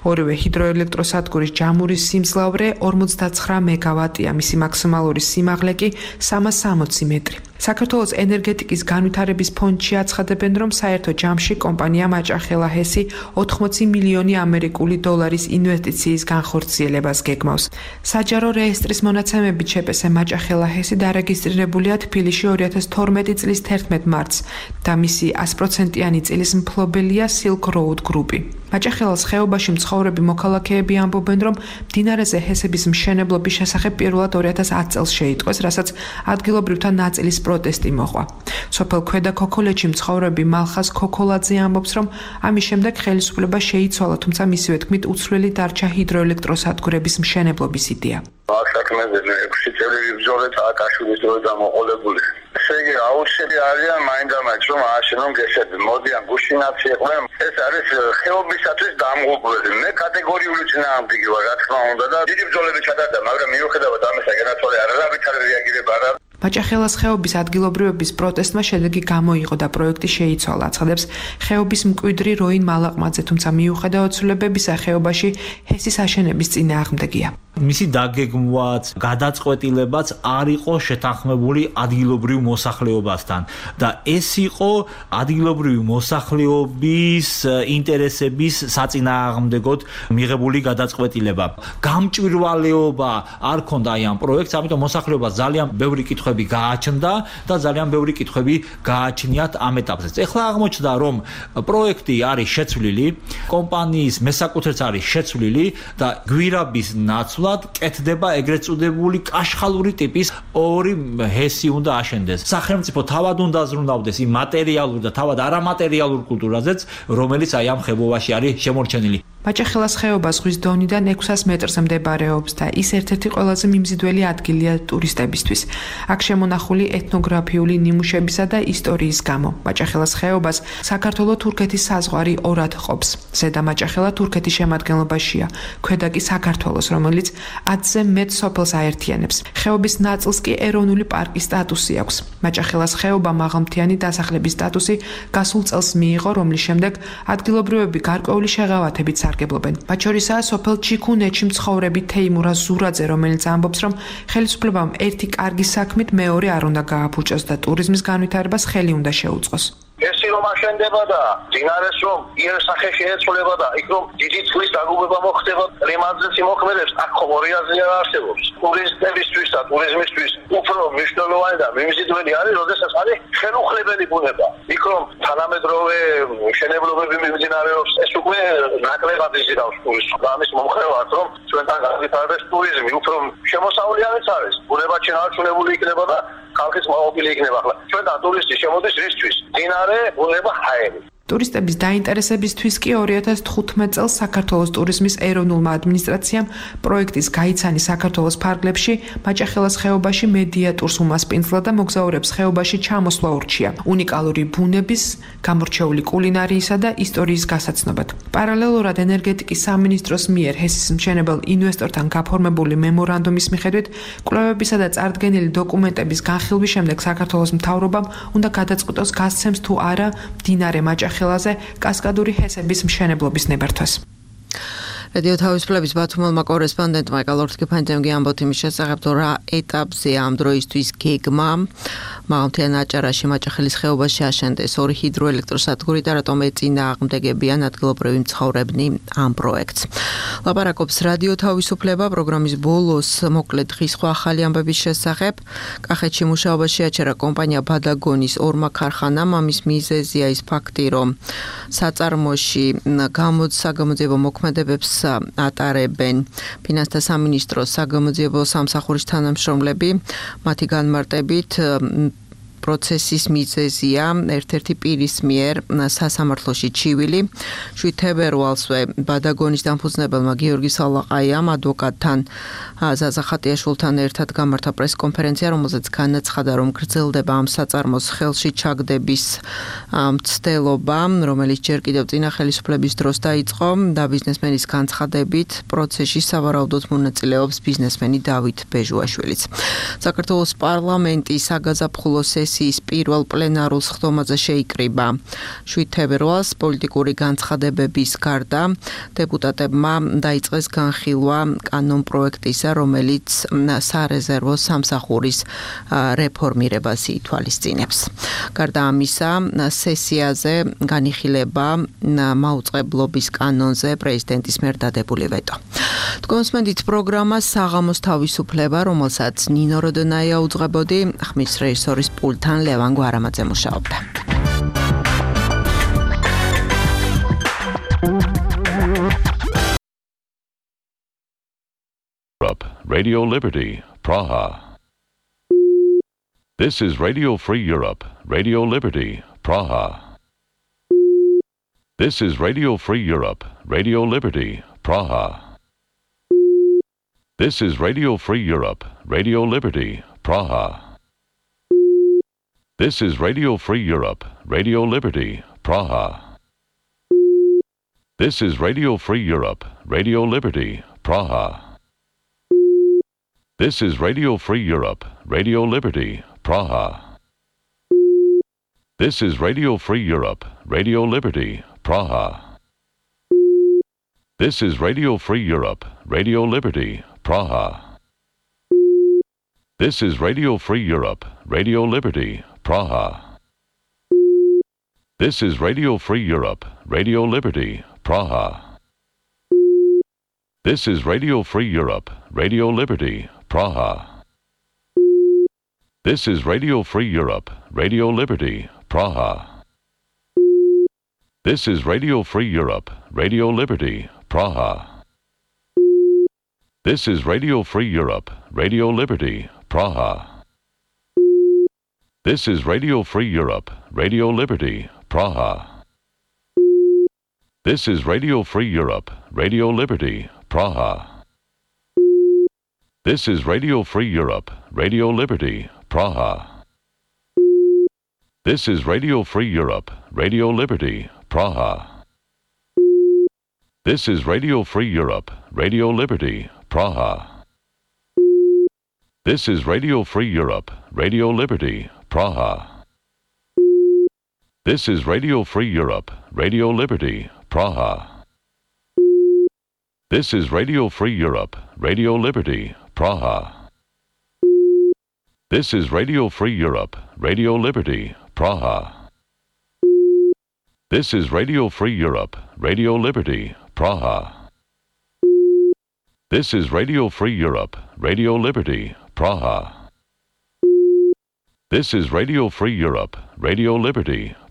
ორივე ჰიდროელექტროსადგურის ჯამურის სიმძლავრე 49 მეგავატია, მისი მაქსიმალური სიმაღლე კი 360 მეტრი. საქართველოს ენერგეტიკის განვითარების ფონდში აცხადებენ, რომ საერთო ჯამში კომპანია მაჭახელა ჰესი 80 მილიონი ამერიკული დოლარის ინვესტიციის განხორციელებას გეგმავს. საჯარო რეესტრის მონაცემებით შეპესე მაჭახელა ჰესი დარეგისტრირებულია თბილისში 2012 წლის 11 მარტს და მისი 100%-იანი წილის მფლობელია Silk Road Group-ი. მაჭახელას ხეობაში მცხოვრები მოქალაქეები ამბობენ, რომ მდინარეზე ჰესების მშენებლობის შესახებ პირველად 2010 წელს შეიტყვეს, რასაც ადგილობრივთა ნაწილის პროტესტი მოყვა. სოფელ ქვედა ქოქოლეთში მცხოვრები მალხაზ ქოქოლაძე ამბობს, რომ ამის შემდეგ ხელისუფლება შეიცვალა, თუმცა მისივე თქმით უცვლელი დარჩა ჰიდროელექტროსადგურების მშენებლობის იდეა. საქმეზე 6 წელი ბრძოლა წააკაშვილის დროით დამოყოლებული. ესე იგი აუცილებელი არიან მაინდამაინც რომ ააშენონ გესები. მოდიან გუშინაცი იყვნენ. ეს არის ხეობისათვის დამღუპველი. მე კატეგორიული წინააღმდეგი ვარ, რა თქმა უნდა და დიდი ბრძოლები ჩატარდა, მაგრამ მიუხედავად ამისა განაცვალე არავითარი რეაგირება არ არის. მაჭახელას ხეობის ადგილობრივების პროტესტმა შედეგი გამოიღო და პროექტი შეიცვალა, აცხადებს ხეობის მკვიდრი როინ მალაყმაძე, თუმცა მიუხედავად ცვლილებებისა ხეობაში ჰესის აშენების წინააღმდეგია. მისი დაგეგმვაც, გადაწყვეტილებაც არ იყო შეთანხმებული ადგილობრივ მოსახლეობასთან და ეს იყო ადგილობრივი მოსახლეობის ინტერესების საწინააღმდეგოდ მიღებული გადაწყვეტილება. გამჭვირვალეობა არ ქონდა აი ამ პროექტს, ამიტომ მოსახლეობას ძალიან ბევრი კითხვები გააჩნდა და ძალიან ბევრი კითხვები გააჩნიათ ამ ეტაპზე. ეხლა აღმოჩნდა, რომ პროექტი არის შეცვლილი, კომპანიის მესაკუთრეც არის შეცვლილი და გვირაბის ნაცვლად კეთდება ეგრეთ წოდებული კაშხალური ტიპის ორი ჰესი უნდა აშენდეს. სახელმწიფო თავად უნდა ზრუნავდეს იმ მატერიალურ და თავად არამატერიალურ კულტურაზეც, რომელიც აი ამ ხეობაში არის შემორჩენილი. მაჭახელას ხეობა ზღვის დონიდან 600 მეტრზე მდებარეობს და ის ერთ-ერთი ყველაზე მიმზიდველი ადგილია ტურისტებისთვის. აქ შემონახული ეთნოგრაფიული ნიმუშებისა და ისტორიის გამო. მაჭახელას ხეობას საქართველო-თურქეთის საზღვარი ორად ყოფს. ზედა მაჭახელა თურქეთის შემადგენლობაშია, ქვედა კი საქართველოს, რომელიც 10-ზე მეტ სოფელს აერთიანებს. ხეობის ნაწილს კი ეროვნული პარკის სტატუსი აქვს. მაჭახელას ხეობა მაღალმთიანი დასახლების სტატუსი გასულ წელს მიიღო, რომლის შემდეგ ადგილობრივები გარკვეული შეღავათებით სარგებლობენ. მათ შორისაა სოფელ ჩიქუნეთში მცხოვრები თეიმურა ზურაძე, რომელიც ამბობს, რომ ხელისუფლებამ ერთი კარგი საქმით მეორე არ უნდა გააფუჭოს და ტურიზმის განვითარებას ხელი უნდა შეუწყოს. ესი რომ აშენდება და დინარეს რომ იერსახე შეეცვლება და იქ რომ დიდი წყლის დაგუბება მოხდება, კლიმატზე მოქმედებს, აქ ხომ ორი აზრი არ არსებობს. ტურისტებისთვის და ტურიზმისთვის უფრო მნიშვნელოვანი და მიმზიდველი არის, როდესაც არის ხელუხლებელი ბუნება. იქ რომ თანამედროვე მშენებლობები მიმდინარეობს, ეს უკვე ნაკლებად იზიდავს ტურისტს. ამის მომხრევად რომ ჩვენთან განვითარდეს ტურიზმი, უფრო შემოსავლიანიც არის. ბუნება შენარჩუნებული იქნება და ხალხის მოყოლი იქნება. ახლა ჩვენთან ტურისტი შემოდის რისთვის? დინარე, ბუნება, ჰაერი. ტურისტების დაინტერესებისთვის კი 2015 წელს საქართველოს ტურიზმის ეროვნულმა ადმინისტრაციამ პროექტის გაიცანი საქართველოს ფარგლებში მაჭახელას ხეობაში მედიატურს უმასპინძლა და მოგზაურებს ხეობაში ჩამოსვლა ურჩია უნიკალური ბუნების, გამორჩეული კულინარიისა და ისტორიის გასაცნობად. პარალელურად ენერგეტიკის სამინისტროს მიერ ჰესის მშენებელ ინვესტორთან გაფორმებული მემორანდუმის მიხედვით კვლევებისა და წარდგენილი დოკუმენტების განხილვის შემდეგ საქართველოს მთავრობამ უნდა გადაწყვიტოს გასცემს თუ არა მდინარე მაჭახელაზე კასკადური ჰესების მშენებლობის ნებართვას. რადიო თავისუფლების ბათუმელმა კორესპონდენტმა ეკალორთკიფანძემ ამბობთ იმის შესახებ, რომ რა ეტაპზეა ამ დროისთვის გეგმა მაღალმთიან აჭარაში მაჭახელის ხეობაში აშენდეს ორი ჰიდროელექტროსადგური და რატომ ეწინააღმდეგებიან ადგილობრივი მცხოვრებნი ამ პროექტს. ლაპარაკობს რადიო თავისუფლება პროგრამის ბოლოს მოკლედ დღის სხვა ახალი ამბების შესახებ. კახეთში მუშაობაში აჩერა კომპანია ბადაგონის ორმა ქარხანამ. ამის მიზეზია ის ფაქტი, რომ საწარმოში საგამოძიებო მოქმედებებს ატარებენ ფინანსთა სამინისტროს საგამოძიებო სამსახურის თანამშრომლები. მათი განმარტებით პროცესის მიზეზია ერთ-ერთი პირის მიერ სასამართლოში ჩივილი. 7 თებერვალსვე ბადაგონის დამფუძნებელმა გიორგი სალაყაიამ ადვოკატთან ზაზა ხატიაშვილთან ერთად გამართა პრესკონფერენცია, რომელზეც განაცხადა, რომ გრძელდება ამ საწარმოს ხელში ჩაგდების მცდელობა, რომელიც ჯერ კიდევ წინა ხელისუფლების დროს დაიწყო და ბიზნესმენის განცხადებით პროცესში სავარაუდოდ მონაწილეობს ბიზნესმენი დავით ბეჟუაშვილიც. საქართველოს პარლამენტის საგაზაფხულო სესია სესიის პირველ პლენარულ სხდომაზე შეიკრიბა. 7 თებერვალს პოლიტიკური განცხადებების გარდა დეპუტატებმა დაიწყეს განხილვა კანონპროექტისა, რომელიც სარეზერვო სამსახურის რეფორმირებას ითვალისწინებს. გარდა ამისა, სესიაზე განიხილება მაუწყებლობის კანონზე პრეზიდენტის მიერ დადებული ვეტო. თქვენსმენდით პროგრამა საღამოს თავისუფლება, რომელსაც ნინო როდონაია უძღვებოდი, ხმის რეჟისორის პულტთან ლევან გვარამაძე მუშაობდა. Radio Liberty, Praha. This is Radio Free Europe, Radio Liberty, Praha. This is Radio Free Europe, Radio Liberty, Praha. This is Radio Free Europe, Radio Liberty, Praha. This is Radio Free Europe, Radio Liberty, Praha. This is Radio Free Europe, Radio Liberty, Praha. This is Radio Free Europe, Radio Liberty, Praha. This is Radio Free Europe, Radio Liberty, Praha. This is Radio Free Europe, Radio Liberty, Praha. This is Radio Free Europe, Radio Liberty, Praha. This is Radio Free Europe, Radio Liberty, Praha. This is Radio Free Europe, Radio Liberty, Praha. This is Radio Free Europe, Radio Liberty, Praha. This is Radio Free Europe, Radio Liberty, Praha. This is Radio Free Europe, Radio Liberty, Praha. This is Radio Free Europe, Radio Liberty, Praha. This is Radio Free Europe, Radio Liberty, Praha. This is Radio Free Europe, Radio Liberty, Praha. This is Radio Free Europe, Radio Liberty, Praha. This is Radio Free Europe, Radio Liberty, Praha. This is Radio Free Europe, Radio Liberty, Praha. This is Radio Free Europe, Radio Liberty, Praha. This is Radio Free Europe, Radio Liberty, Praha. This is Radio Free Europe, Radio Liberty, Praha. This is Radio Free Europe, Radio Liberty, Praha. This is Radio Free Europe, Radio Liberty,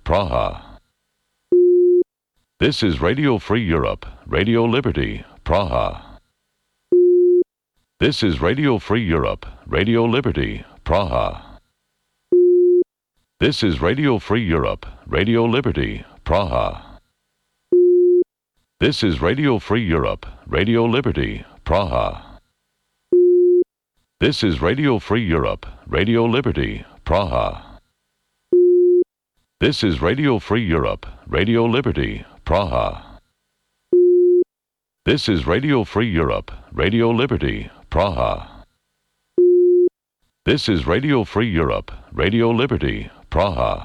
Praha. This is Radio Free Europe, Radio Liberty, Praha. This is Radio Free Europe, Radio Liberty, Praha. This is Radio Free Europe, Radio Liberty, Praha. This is Radio Free Europe, Radio Liberty, Praha. This is Radio Free Europe, Radio Liberty, Praha. This is Radio Free Europe, Radio Liberty, Praha. This is Radio Free Europe, Radio Liberty, Praha. This is Radio Free Europe, Radio Liberty, Praha. This is Radio Free Europe, Radio Liberty, Praha.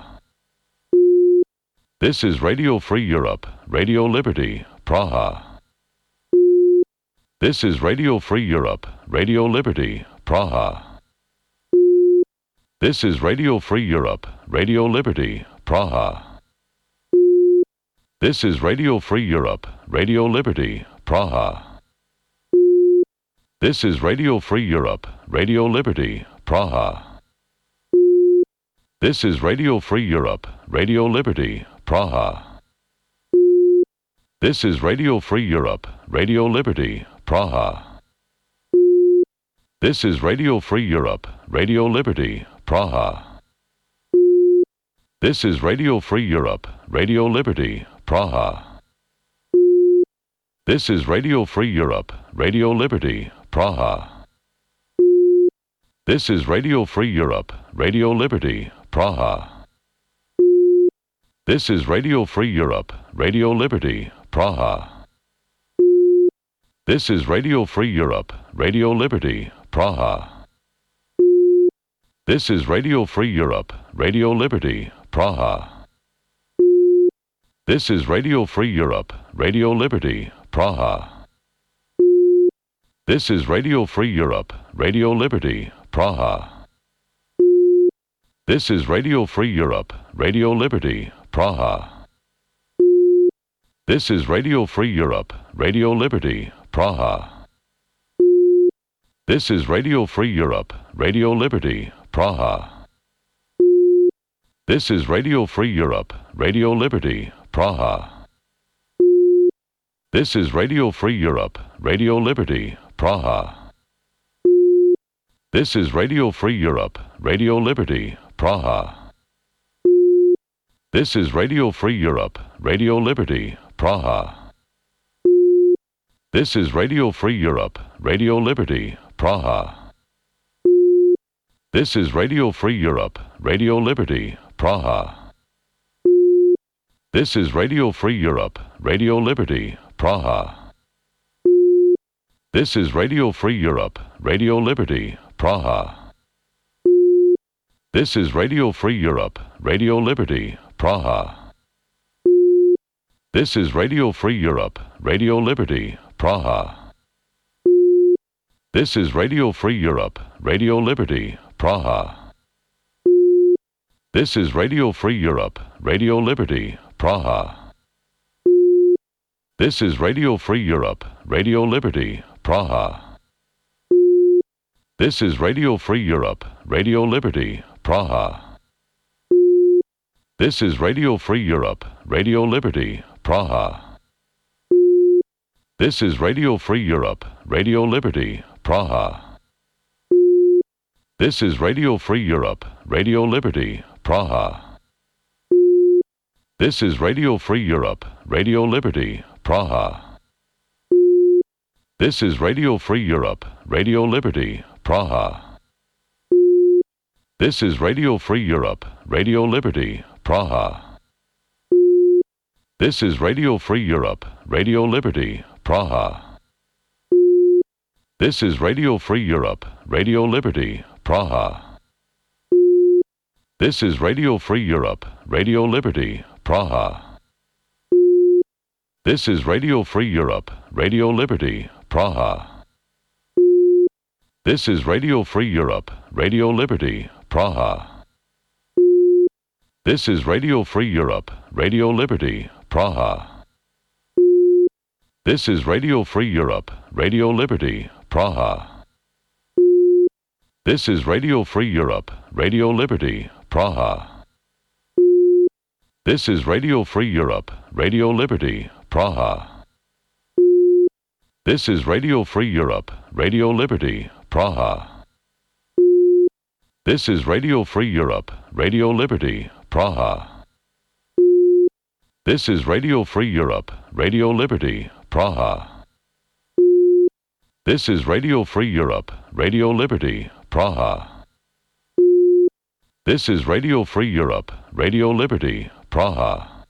This is Radio Free Europe, Radio Liberty, Praha. This is Radio Free Europe, Radio Liberty, Praha. This is Radio Free Europe, Radio Liberty, Praha. This is Radio Free Europe, Radio Liberty, Praha. This is Radio Free Europe, Radio Liberty, Praha. This is Radio Free Europe, Radio Liberty, Praha. This is Radio Free Europe, Radio Liberty, Praha. This is Radio Free Europe, Radio Liberty, Praha. This is Radio Free Europe, Radio Liberty, Praha. This is Radio Free Europe, Radio Liberty, Praha. This is Radio Free Europe, Radio Liberty, Praha. This is Radio Free Europe, Radio Liberty, Praha. This is Radio Free Europe, Radio Liberty, Praha. This is Radio Free Europe, Radio Liberty, Praha. This is Radio Free Europe, Radio Liberty, Praha. This is Radio Free Europe, Radio Liberty, Praha. This is Radio Free Europe, Radio Liberty, Praha. This is Radio Free Europe, Radio Liberty, Praha. This is Radio Free Europe, Radio Liberty, Praha. This is Radio Free Europe, Radio Liberty, Praha. This is Radio Free Europe, Radio Liberty, Praha. This is Radio Free Europe, Radio Liberty, Praha. This is Radio Free Europe, Radio Liberty, Praha. This is Radio Free Europe, Radio Liberty, Praha. This is Radio Free Europe, Radio Liberty, Praha. This is Radio Free Europe, Radio Liberty, Praha. This is Radio Free Europe, Radio Liberty, Praha. This is Radio Free Europe, Radio Liberty, Praha. This is Radio Free Europe, Radio Liberty, Praha. This is Radio Free Europe, Radio Liberty, Praha. This is Radio Free Europe, Radio Liberty, Praha. This is Radio Free Europe, Radio Liberty, Praha. This is Radio Free Europe, Radio Liberty, Praha. This is Radio Free Europe, Radio Liberty, Praha. This is Radio Free Europe, Radio Liberty, Praha. This is Radio Free Europe, Radio Liberty, Praha. This is Radio Free Europe, Radio Liberty, Praha. This is Radio Free Europe, Radio Liberty, Praha. This is Radio Free Europe, Radio Liberty, Praha. This is Radio Free Europe, Radio Liberty, Praha. This is Radio Free Europe, Radio Liberty, Praha. This is Radio Free Europe, Radio Liberty, Praha. This is Radio Free Europe, Radio Liberty, Praha. This is Radio Free Europe, Radio Liberty, Praha. This is Radio Free Europe, Radio Liberty, Praha. This is Radio Free Europe, Radio Liberty, Praha. This is Radio Free Europe, Radio Liberty, Praha. This is Radio Free Europe, Radio Liberty, Praha. This is Radio Free Europe, Radio Liberty, Praha. This is Radio Free Europe, Radio Liberty, Praha. This is Radio Free Europe, Radio Liberty, Praha. This is Radio Free Europe, Radio Liberty, Praha. This is Radio Free Europe, Radio Liberty, Praha.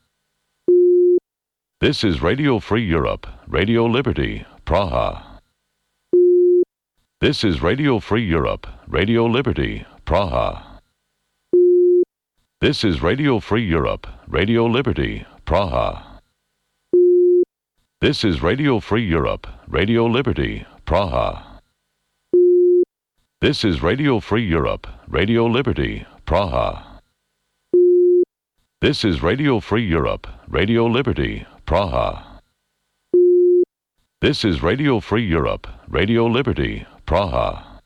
This is Radio Free Europe, Radio Liberty, Praha. This is Radio Free Europe, Radio Liberty, Praha. This is Radio Free Europe, Radio Liberty, Praha. This is Radio Free Europe, Radio Liberty, Praha. This is Radio Free Europe, Radio Liberty, Praha. This is Radio Free Europe, Radio Liberty, Praha. This is Radio Free Europe, Radio Liberty, Praha.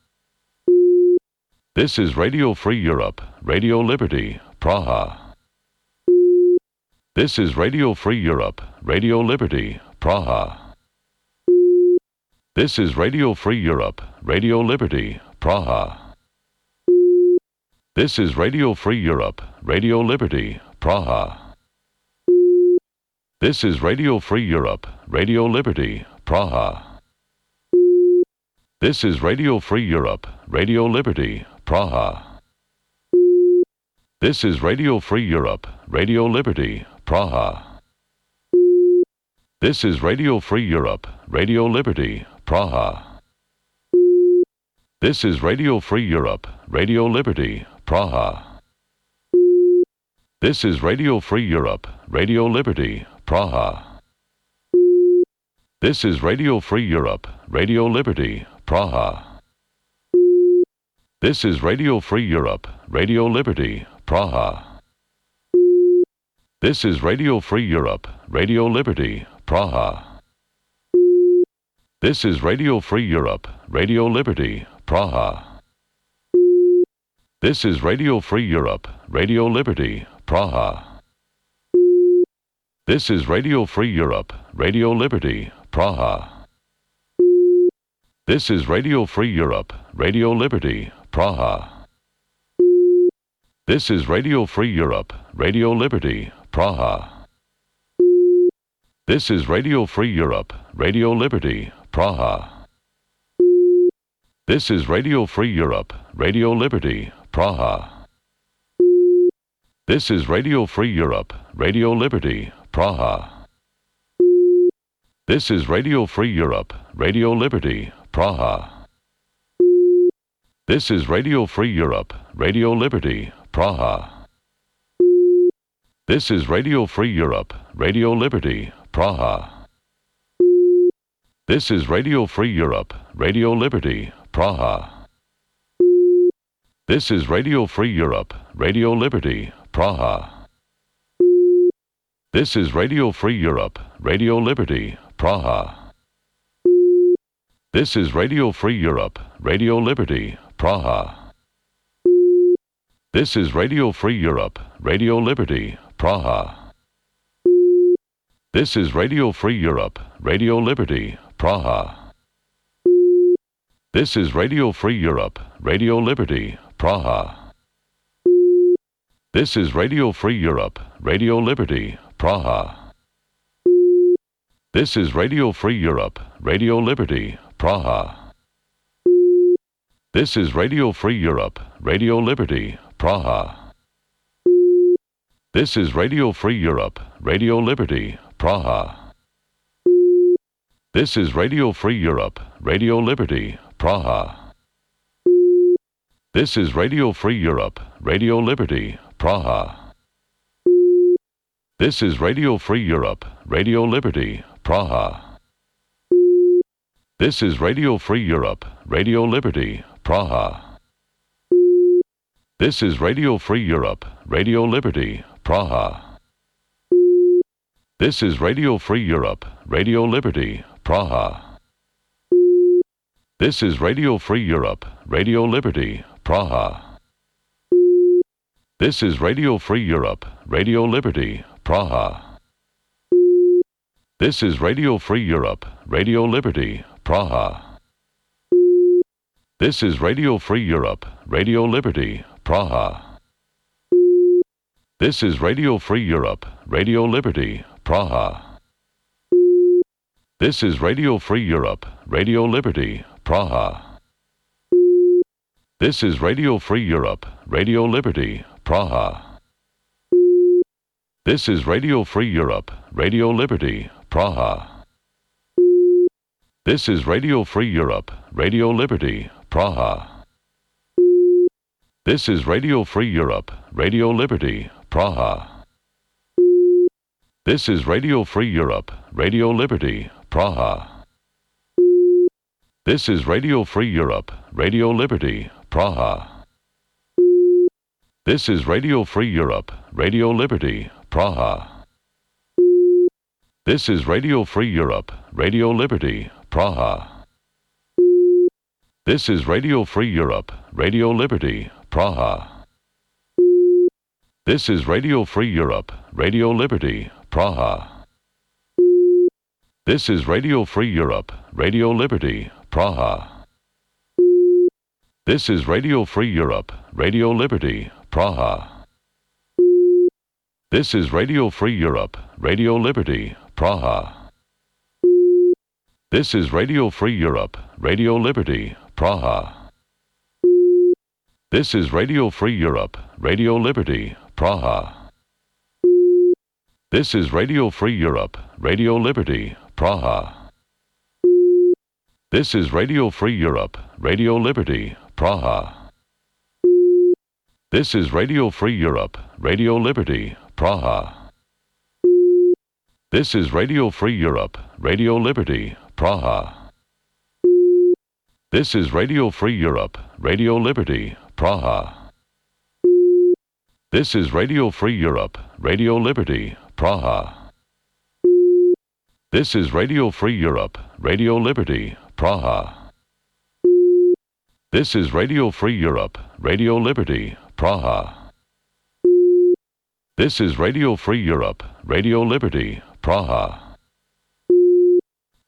This is Radio Free Europe, Radio Liberty, Praha. This is Radio Free Europe, Radio Liberty, Praha. This is Radio Free Europe, Radio Liberty, Praha. This is Radio Free Europe, Radio Liberty, Praha. This is Radio Free Europe, Radio Liberty, Praha. This is Radio Free Europe, Radio Liberty, Praha. This is Radio Free Europe, Radio Liberty, Praha. This is Radio Free Europe, Radio Liberty, Praha. This is Radio Free Europe, Radio Liberty, Praha. This is Radio Free Europe, Radio Liberty, Praha. This is Radio Free Europe, Radio Liberty, Praha. This is Radio Free Europe, Radio Liberty, Praha. This is Radio Free Europe, Radio Liberty, Praha. This is Radio Free Europe, Radio Liberty, Praha. This is Radio Free Europe, Radio Liberty, Praha. This is Radio Free Europe, Radio Liberty, Praha. This is Radio Free Europe, Radio Liberty, Praha. This is Radio Free Europe, Radio Liberty, Praha. This is Radio Free Europe, Radio Liberty, Praha. This is Radio Free Europe, Radio Liberty, Praha. This is Radio Free Europe, Radio Liberty, Praha. This is Radio Free Europe, Radio Liberty, Praha. This is Radio Free Europe, Radio Liberty, Praha. This is Radio Free Europe, Radio Liberty, Praha. This is Radio Free Europe, Radio Liberty, Praha. This is Radio Free Europe, Radio Liberty, Praha. This is Radio Free Europe, Radio Liberty, Praha. This is Radio Free Europe, Radio Liberty, Praha. This is Radio Free Europe, Radio Liberty, Praha. This is Radio Free Europe, Radio Liberty, Praha. This is Radio Free Europe, Radio Liberty, Praha. This is Radio Free Europe, Radio Liberty, Praha. This is Radio Free Europe, Radio Liberty, Praha. This is Radio Free Europe, Radio Liberty, Praha. This is Radio Free Europe, Radio Liberty, Praha. This is Radio Free Europe, Radio Liberty, Praha. This is Radio Free Europe, Radio Liberty, Praha. This is Radio Free Europe, Radio Liberty, Praha. This is Radio Free Europe, Radio Liberty, Praha. This is Radio Free Europe, Radio Liberty, Praha. This is Radio Free Europe, Radio Liberty, Praha. This is Radio Free Europe, Radio Liberty, Praha. This is Radio Free Europe, Radio Liberty, Praha. This is Radio Free Europe, Radio Liberty, Praha. This is Radio Free Europe, Radio Liberty, Praha. This is Radio Free Europe, Radio Liberty, Praha. This is Radio Free Europe, Radio Liberty, Praha. This is Radio Free Europe, Radio Liberty, Praha. This is Radio Free Europe, Radio Liberty, Praha. This is Radio Free Europe, Radio Liberty, Praha. This is Radio Free Europe, Radio Liberty, Praha. This is Radio Free Europe, Radio Liberty, Praha. This is Radio Free Europe, Radio Liberty, Praha. This is Radio Free Europe, Radio Liberty, Praha. This is Radio Free Europe, Radio Liberty, Praha. This is Radio Free Europe, Radio Liberty, Praha. This is Radio Free Europe, Radio Liberty, Praha. This is Radio Free Europe, Radio Liberty, Praha. This is Radio Free Europe, Radio Liberty, Praha. This is Radio Free Europe, Radio Liberty, Praha. This is Radio Free Europe, Radio Liberty, Praha. This is Radio Free Europe, Radio Liberty, Praha. This is Radio Free Europe, Radio Liberty, Praha. This is Radio Free Europe, Radio Liberty, Praha. This is Radio Free Europe, Radio Liberty, Praha. This is Radio Free Europe, Radio Liberty, Praha. This is Radio Free Europe, Radio Liberty, Praha. This is Radio Free Europe, Radio Liberty, Praha. This is Radio Free Europe, Radio Liberty, Praha. This is Radio Free Europe, Radio Liberty, Praha. This is Radio Free Europe, Radio Liberty, Praha.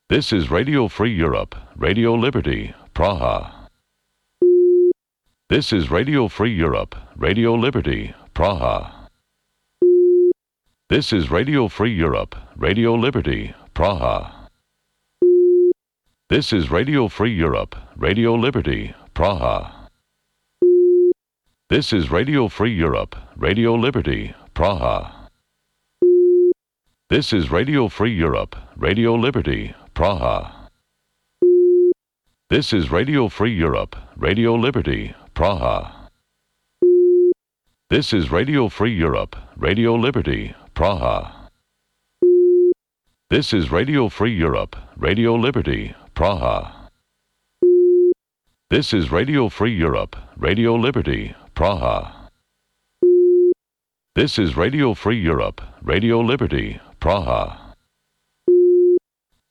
This is Radio Free Europe, Radio Liberty, Praha. This is Radio Free Europe, Radio Liberty, Praha. This is Radio Free Europe, Radio Liberty, Praha. This is Radio Free Europe, Radio Liberty, Praha. This is Radio Free Europe, Radio Liberty, Praha. This is Radio Free Europe, Radio Liberty, Praha. This is Radio Free Europe, Radio Liberty, Praha. This is Radio Free Europe, Radio Liberty, Praha. This is Radio Free Europe, Radio Liberty, Praha. This is Radio Free Europe, Radio Liberty, Praha. This is Radio Free Europe, Radio Liberty, Praha.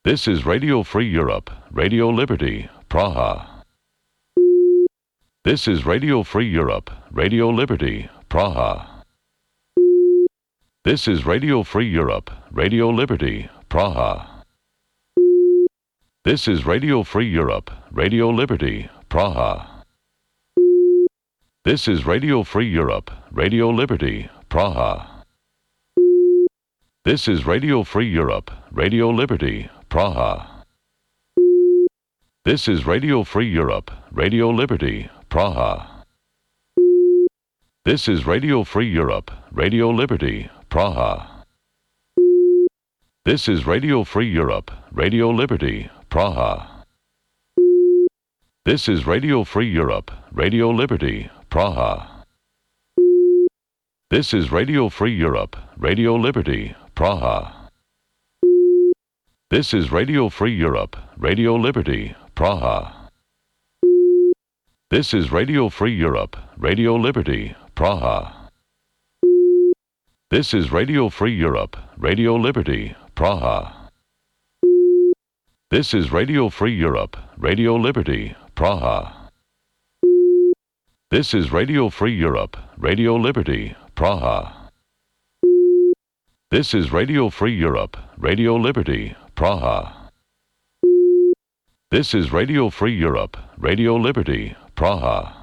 This is Radio Free Europe, Radio Liberty, Praha. This is Radio Free Europe, Radio Liberty, Praha. This is Radio Free Europe, Radio Liberty, Praha. This is Radio Free Europe, Radio Liberty, Praha. This is Radio Free Europe, Radio Liberty, Praha. This is Radio Free Europe, Radio Liberty, Praha. This is Radio Free Europe, Radio Liberty, Praha. This is Radio Free Europe, Radio Liberty, Praha. This is Radio Free Europe, Radio Liberty, Praha. This is Radio Free Europe, Radio Liberty, Praha. This is Radio Free Europe, Radio Liberty, Praha. This is Radio Free Europe, Radio Liberty, Praha. This is Radio Free Europe, Radio Liberty, Praha. This is Radio Free Europe, Radio Liberty, Praha. This is Radio Free Europe, Radio Liberty, Praha. This is Radio Free Europe, Radio Liberty, Praha. This is Radio Free Europe, Radio Liberty, Praha. This is Radio Free Europe, Radio Liberty, Praha.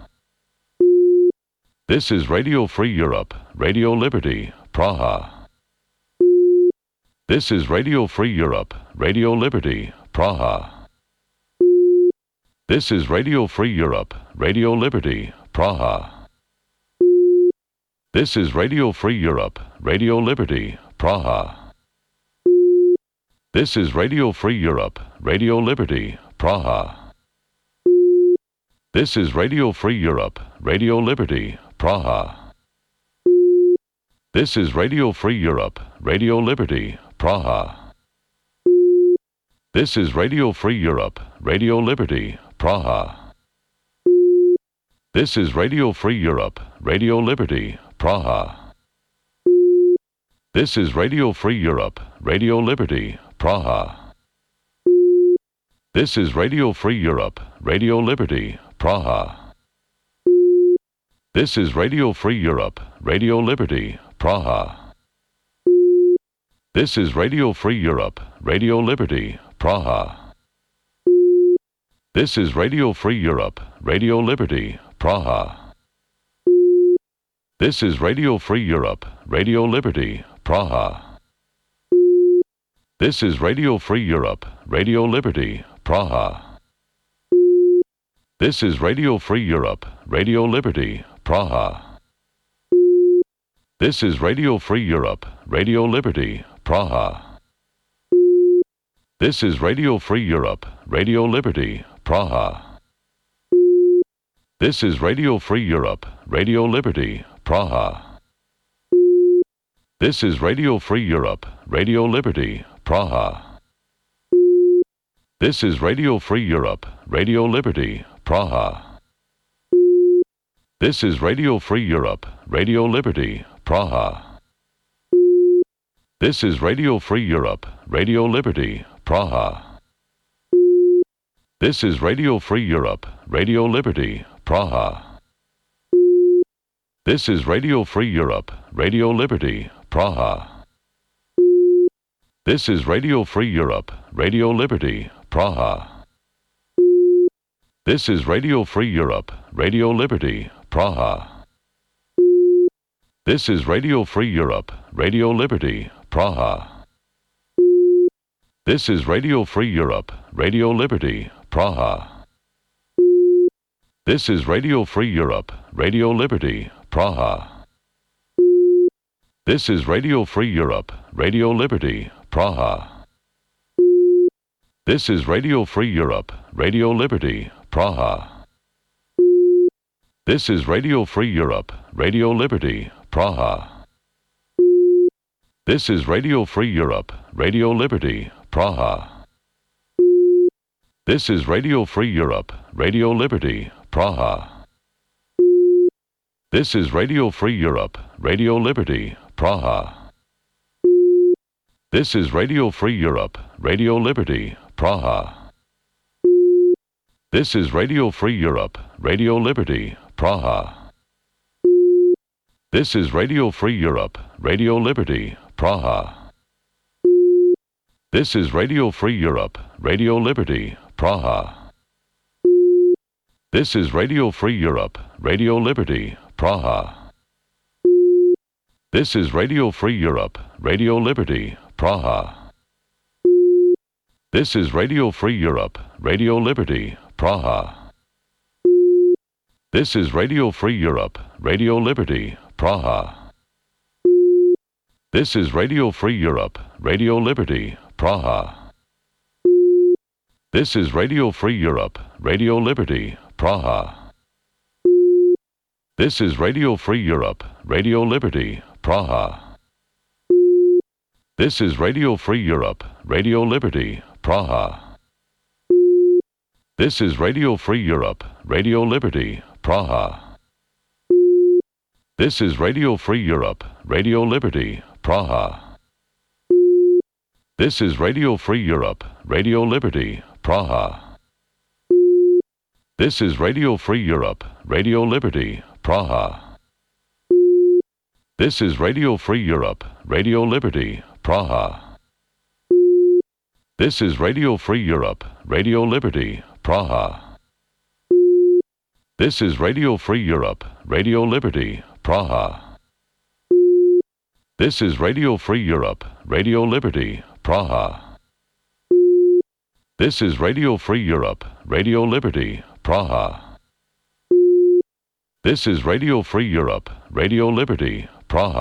This is Radio Free Europe, Radio Liberty, Praha. This is Radio Free Europe, Radio Liberty, Praha. This is Radio Free Europe, Radio Liberty, Praha. This is Radio Free Europe, Radio Liberty, Praha. This is Radio Free Europe, Radio Liberty, Praha. This is Radio Free Europe, Radio Liberty, Praha. This is Radio Free Europe, Radio Liberty, Praha. This is Radio Free Europe, Radio Liberty, Praha. This is Radio Free Europe, Radio Liberty, Praha. This is Radio Free Europe, Radio Liberty, Praha. This is Radio Free Europe, Radio Liberty, Praha. This is Radio Free Europe, Radio Liberty, Praha. This is Radio Free Europe, Radio Liberty, Praha. This is Radio Free Europe, Radio Liberty, Praha. This is Radio Free Europe, Radio Liberty, Praha. This is Radio Free Europe, Radio Liberty, Praha. This is Radio Free Europe, Radio Liberty, Praha. This is Radio Free Europe, Radio Liberty, Praha. This is Radio Free Europe, Radio Liberty, Praha. This is Radio Free Europe, Radio Liberty, Praha. This is Radio Free Europe, Radio Liberty, Praha. This is Radio Free Europe, Radio Liberty, Praha. This is Radio Free Europe, Radio Liberty, Praha. This is Radio Free Europe, Radio Liberty, Praha. This is Radio Free Europe, Radio Liberty, Praha. This is Radio Free Europe, Radio Liberty, Praha. This is Radio Free Europe, Radio Liberty, Praha. This is Radio Free Europe, Radio Liberty, Praha. This is Radio Free Europe, Radio Liberty, Praha. This is Radio Free Europe, Radio Liberty, Praha. This is Radio Free Europe, Radio Liberty, Praha. This is Radio Free Europe, Radio Liberty, Praha. This is Radio Free Europe, Radio Liberty, Praha. This is Radio Free Europe, Radio Liberty, Praha. This is Radio Free Europe, Radio Liberty, Praha. This is Radio Free Europe, Radio Liberty, Praha. This is Radio Free Europe, Radio Liberty, Praha. This is Radio Free Europe, Radio Liberty, Praha. This is Radio Free Europe, Radio Liberty, Praha. This is Radio Free Europe, Radio Liberty, Praha. This is Radio Free Europe, Radio Liberty, Praha. This is Radio Free Europe, Radio Liberty, Praha. This is Radio Free Europe, Radio Liberty, Praha. This is Radio Free Europe, Radio Liberty, Praha. This is Radio Free Europe, Radio Liberty, Praha. This is Radio Free Europe, Radio Liberty, Praha. This is Radio Free Europe, Radio Liberty, Praha. This is Radio Free Europe, Radio Liberty, Praha. This is Radio Free Europe, Radio Liberty, Praha. This is Radio Free Europe, Radio Liberty, Praha. This is Radio Free Europe, Radio Liberty, Praha. This is Radio Free Europe, Radio Liberty, Praha. This is Radio Free Europe, Radio Liberty, Praha. This is Radio Free Europe, Radio Liberty, Praha. This is Radio Free Europe, Radio Liberty, Praha. This is Radio Free Europe, Radio Liberty, Praha. This is Radio Free Europe, Radio Liberty, Praha. This is Radio Free Europe, Radio Liberty, Praha. This is Radio Free Europe, Radio Liberty,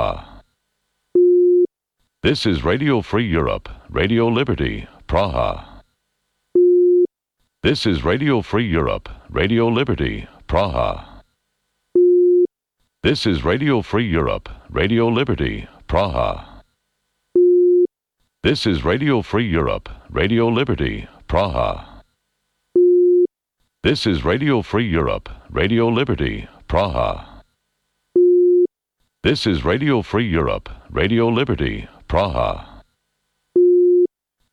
Praha. This is Radio Free Europe, Radio Liberty, Praha. This is Radio Free Europe, Radio Liberty, Praha. This is Radio Free Europe, Radio Liberty, Praha. This is Radio Free Europe, Radio Liberty, Praha. This is Radio Free Europe, Radio Liberty, Praha. This is Radio Free Europe, Radio Liberty, Praha.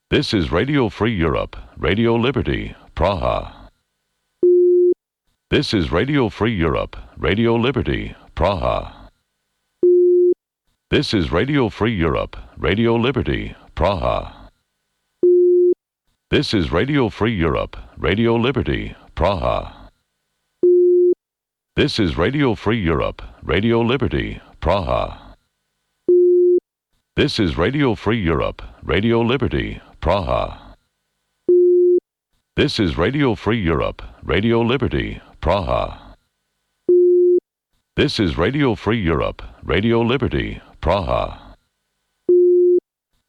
This is Radio Free Europe, Radio Liberty, Praha. This is Radio Free Europe, Radio Liberty, Praha. This is Radio Free Europe, Radio Liberty, Praha. This is Radio Free Europe, Radio Liberty, Praha. This is Radio Free Europe, Radio Liberty, Praha. This is Radio Free Europe, Radio Liberty, Praha. This is Radio Free Europe, Radio Liberty, Praha. This is Radio Free Europe, Radio Liberty, Praha.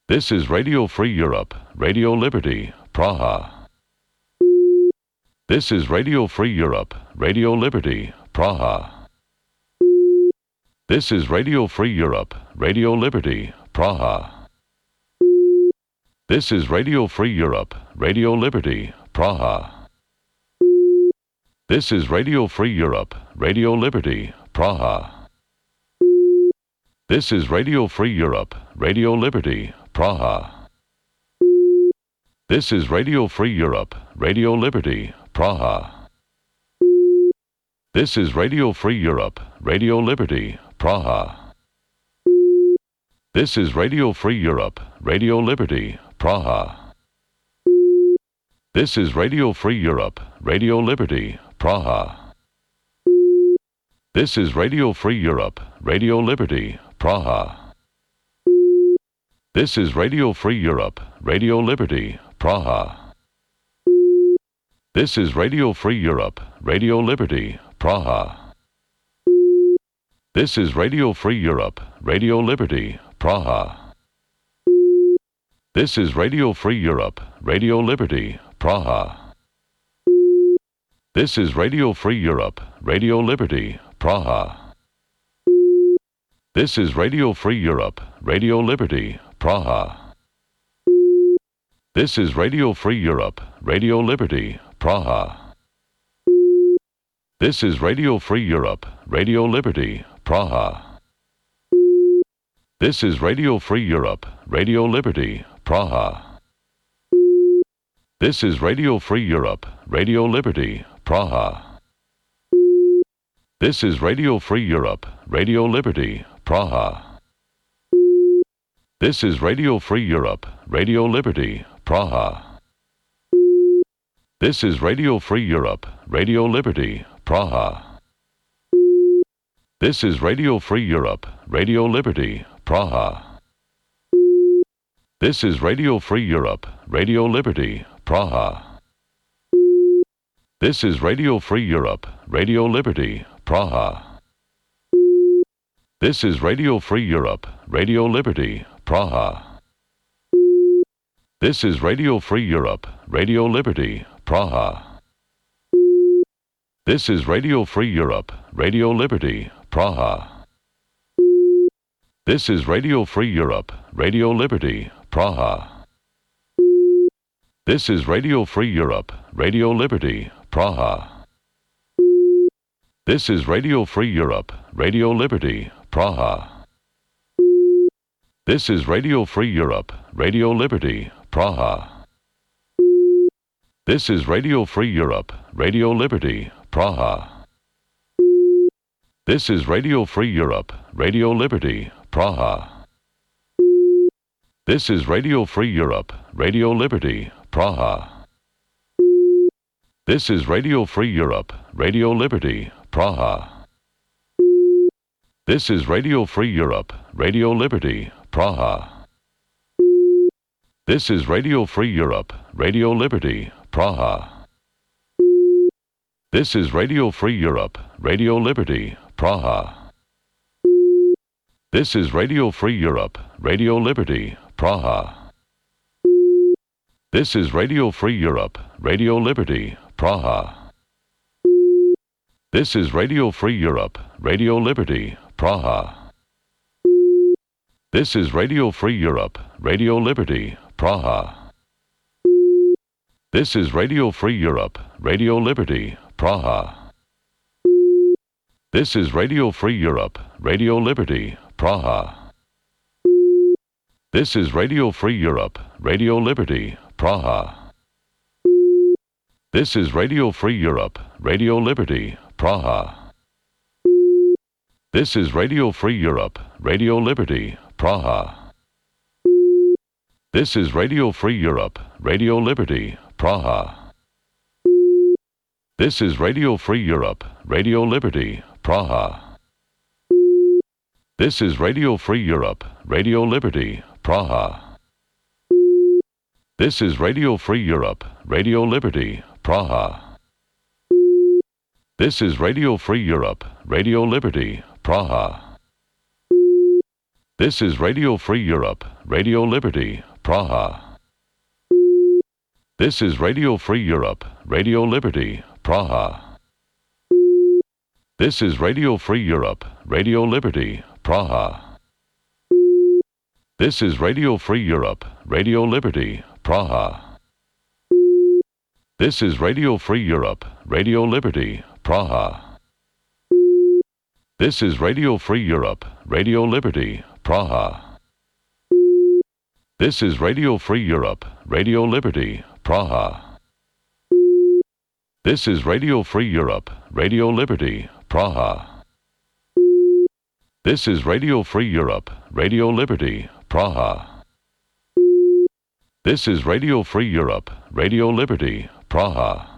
This is Radio Free Europe, Radio Liberty, Praha. This is Radio Free Europe, Radio Liberty, Praha. This is Radio Free Europe, Radio Liberty, Praha. This is Radio Free Europe, Radio Liberty, Praha. This is Radio Free Europe, Radio Liberty, Praha. This is Radio Free Europe, Radio Liberty, Praha. This is Radio Free Europe, Radio Liberty, Praha. This is Radio Free Europe, Radio Liberty, Praha. This is Radio Free Europe, Radio Liberty, Praha. This is Radio Free Europe, Radio Liberty, Praha. This is Radio Free Europe, Radio Liberty, Praha. This is Radio Free Europe, Radio Liberty, Praha. This is Radio Free Europe, Radio Liberty, Praha. This is Radio Free Europe, Radio Liberty, Praha. This is Radio Free Europe, Radio Liberty, Praha. This is Radio Free Europe, Radio Liberty, Praha. This is Radio Free Europe, Radio Liberty, Praha. This is Radio Free Europe, Radio Liberty, Praha. This is Radio Free Europe, Radio Liberty, Praha. This is Radio Free Europe, Radio Liberty, Praha. This is Radio Free Europe, Radio Liberty, Praha. This is Radio Free Europe, Radio Liberty, Praha. This is Radio Free Europe, Radio Liberty, Praha. This is Radio Free Europe, Radio Liberty, Praha. This is Radio Free Europe, Radio Liberty, Praha. This is Radio Free Europe, Radio Liberty, Praha. This is Radio Free Europe, Radio Liberty, Praha. This is Radio Free Europe, Radio Liberty, Praha. This is Radio Free Europe, Radio Liberty, Praha. This is Radio Free Europe, Radio Liberty, Praha. This is Radio Free Europe, Radio Liberty, Praha. This is Radio Free Europe, Radio Liberty, Praha. This is Radio Free Europe, Radio Liberty, Praha. This is Radio Free Europe, Radio Liberty, Praha. This is Radio Free Europe, Radio Liberty, Praha. This is Radio Free Europe, Radio Liberty, Praha. This is Radio Free Europe, Radio Liberty, Praha. This is Radio Free Europe, Radio Liberty, Praha. This is Radio Free Europe, Radio Liberty, Praha. This is Radio Free Europe, Radio Liberty, Praha. This is Radio Free Europe, Radio Liberty, Praha. This is Radio Free Europe, Radio Liberty, Praha. This is Radio Free Europe, Radio Liberty, Praha. This is Radio Free Europe, Radio Liberty, Praha. This is Radio Free Europe, Radio Liberty, Praha. This is Radio Free Europe, Radio Liberty, Praha. This is Radio Free Europe, Radio Liberty, Praha. This is Radio Free Europe, Radio Liberty, Praha. This is Radio Free Europe, Radio Liberty, Praha. This is Radio Free Europe, Radio Liberty, Praha. This is Radio Free Europe, Radio Liberty, Praha. This is Radio Free Europe, Radio Liberty, Praha. This is Radio Free Europe, Radio Liberty, Praha. This is Radio Free Europe, Radio Liberty, Praha. This is Radio Free Europe, Radio Liberty, Praha. This is Radio Free Europe, Radio Liberty, Praha. This is Radio Free Europe, Radio Liberty, Praha. This is Radio Free Europe, Radio Liberty, Praha. This is Radio Free Europe, Radio Liberty, Praha. This is Radio Free Europe, Radio Liberty, Praha. This is Radio Free Europe, Radio Liberty, Praha. This is Radio Free Europe, Radio Liberty, Praha. This is Radio Free Europe, Radio Liberty, Praha. This is Radio Free Europe, Radio Liberty, Praha. This is Radio Free Europe, Radio Liberty, Praha.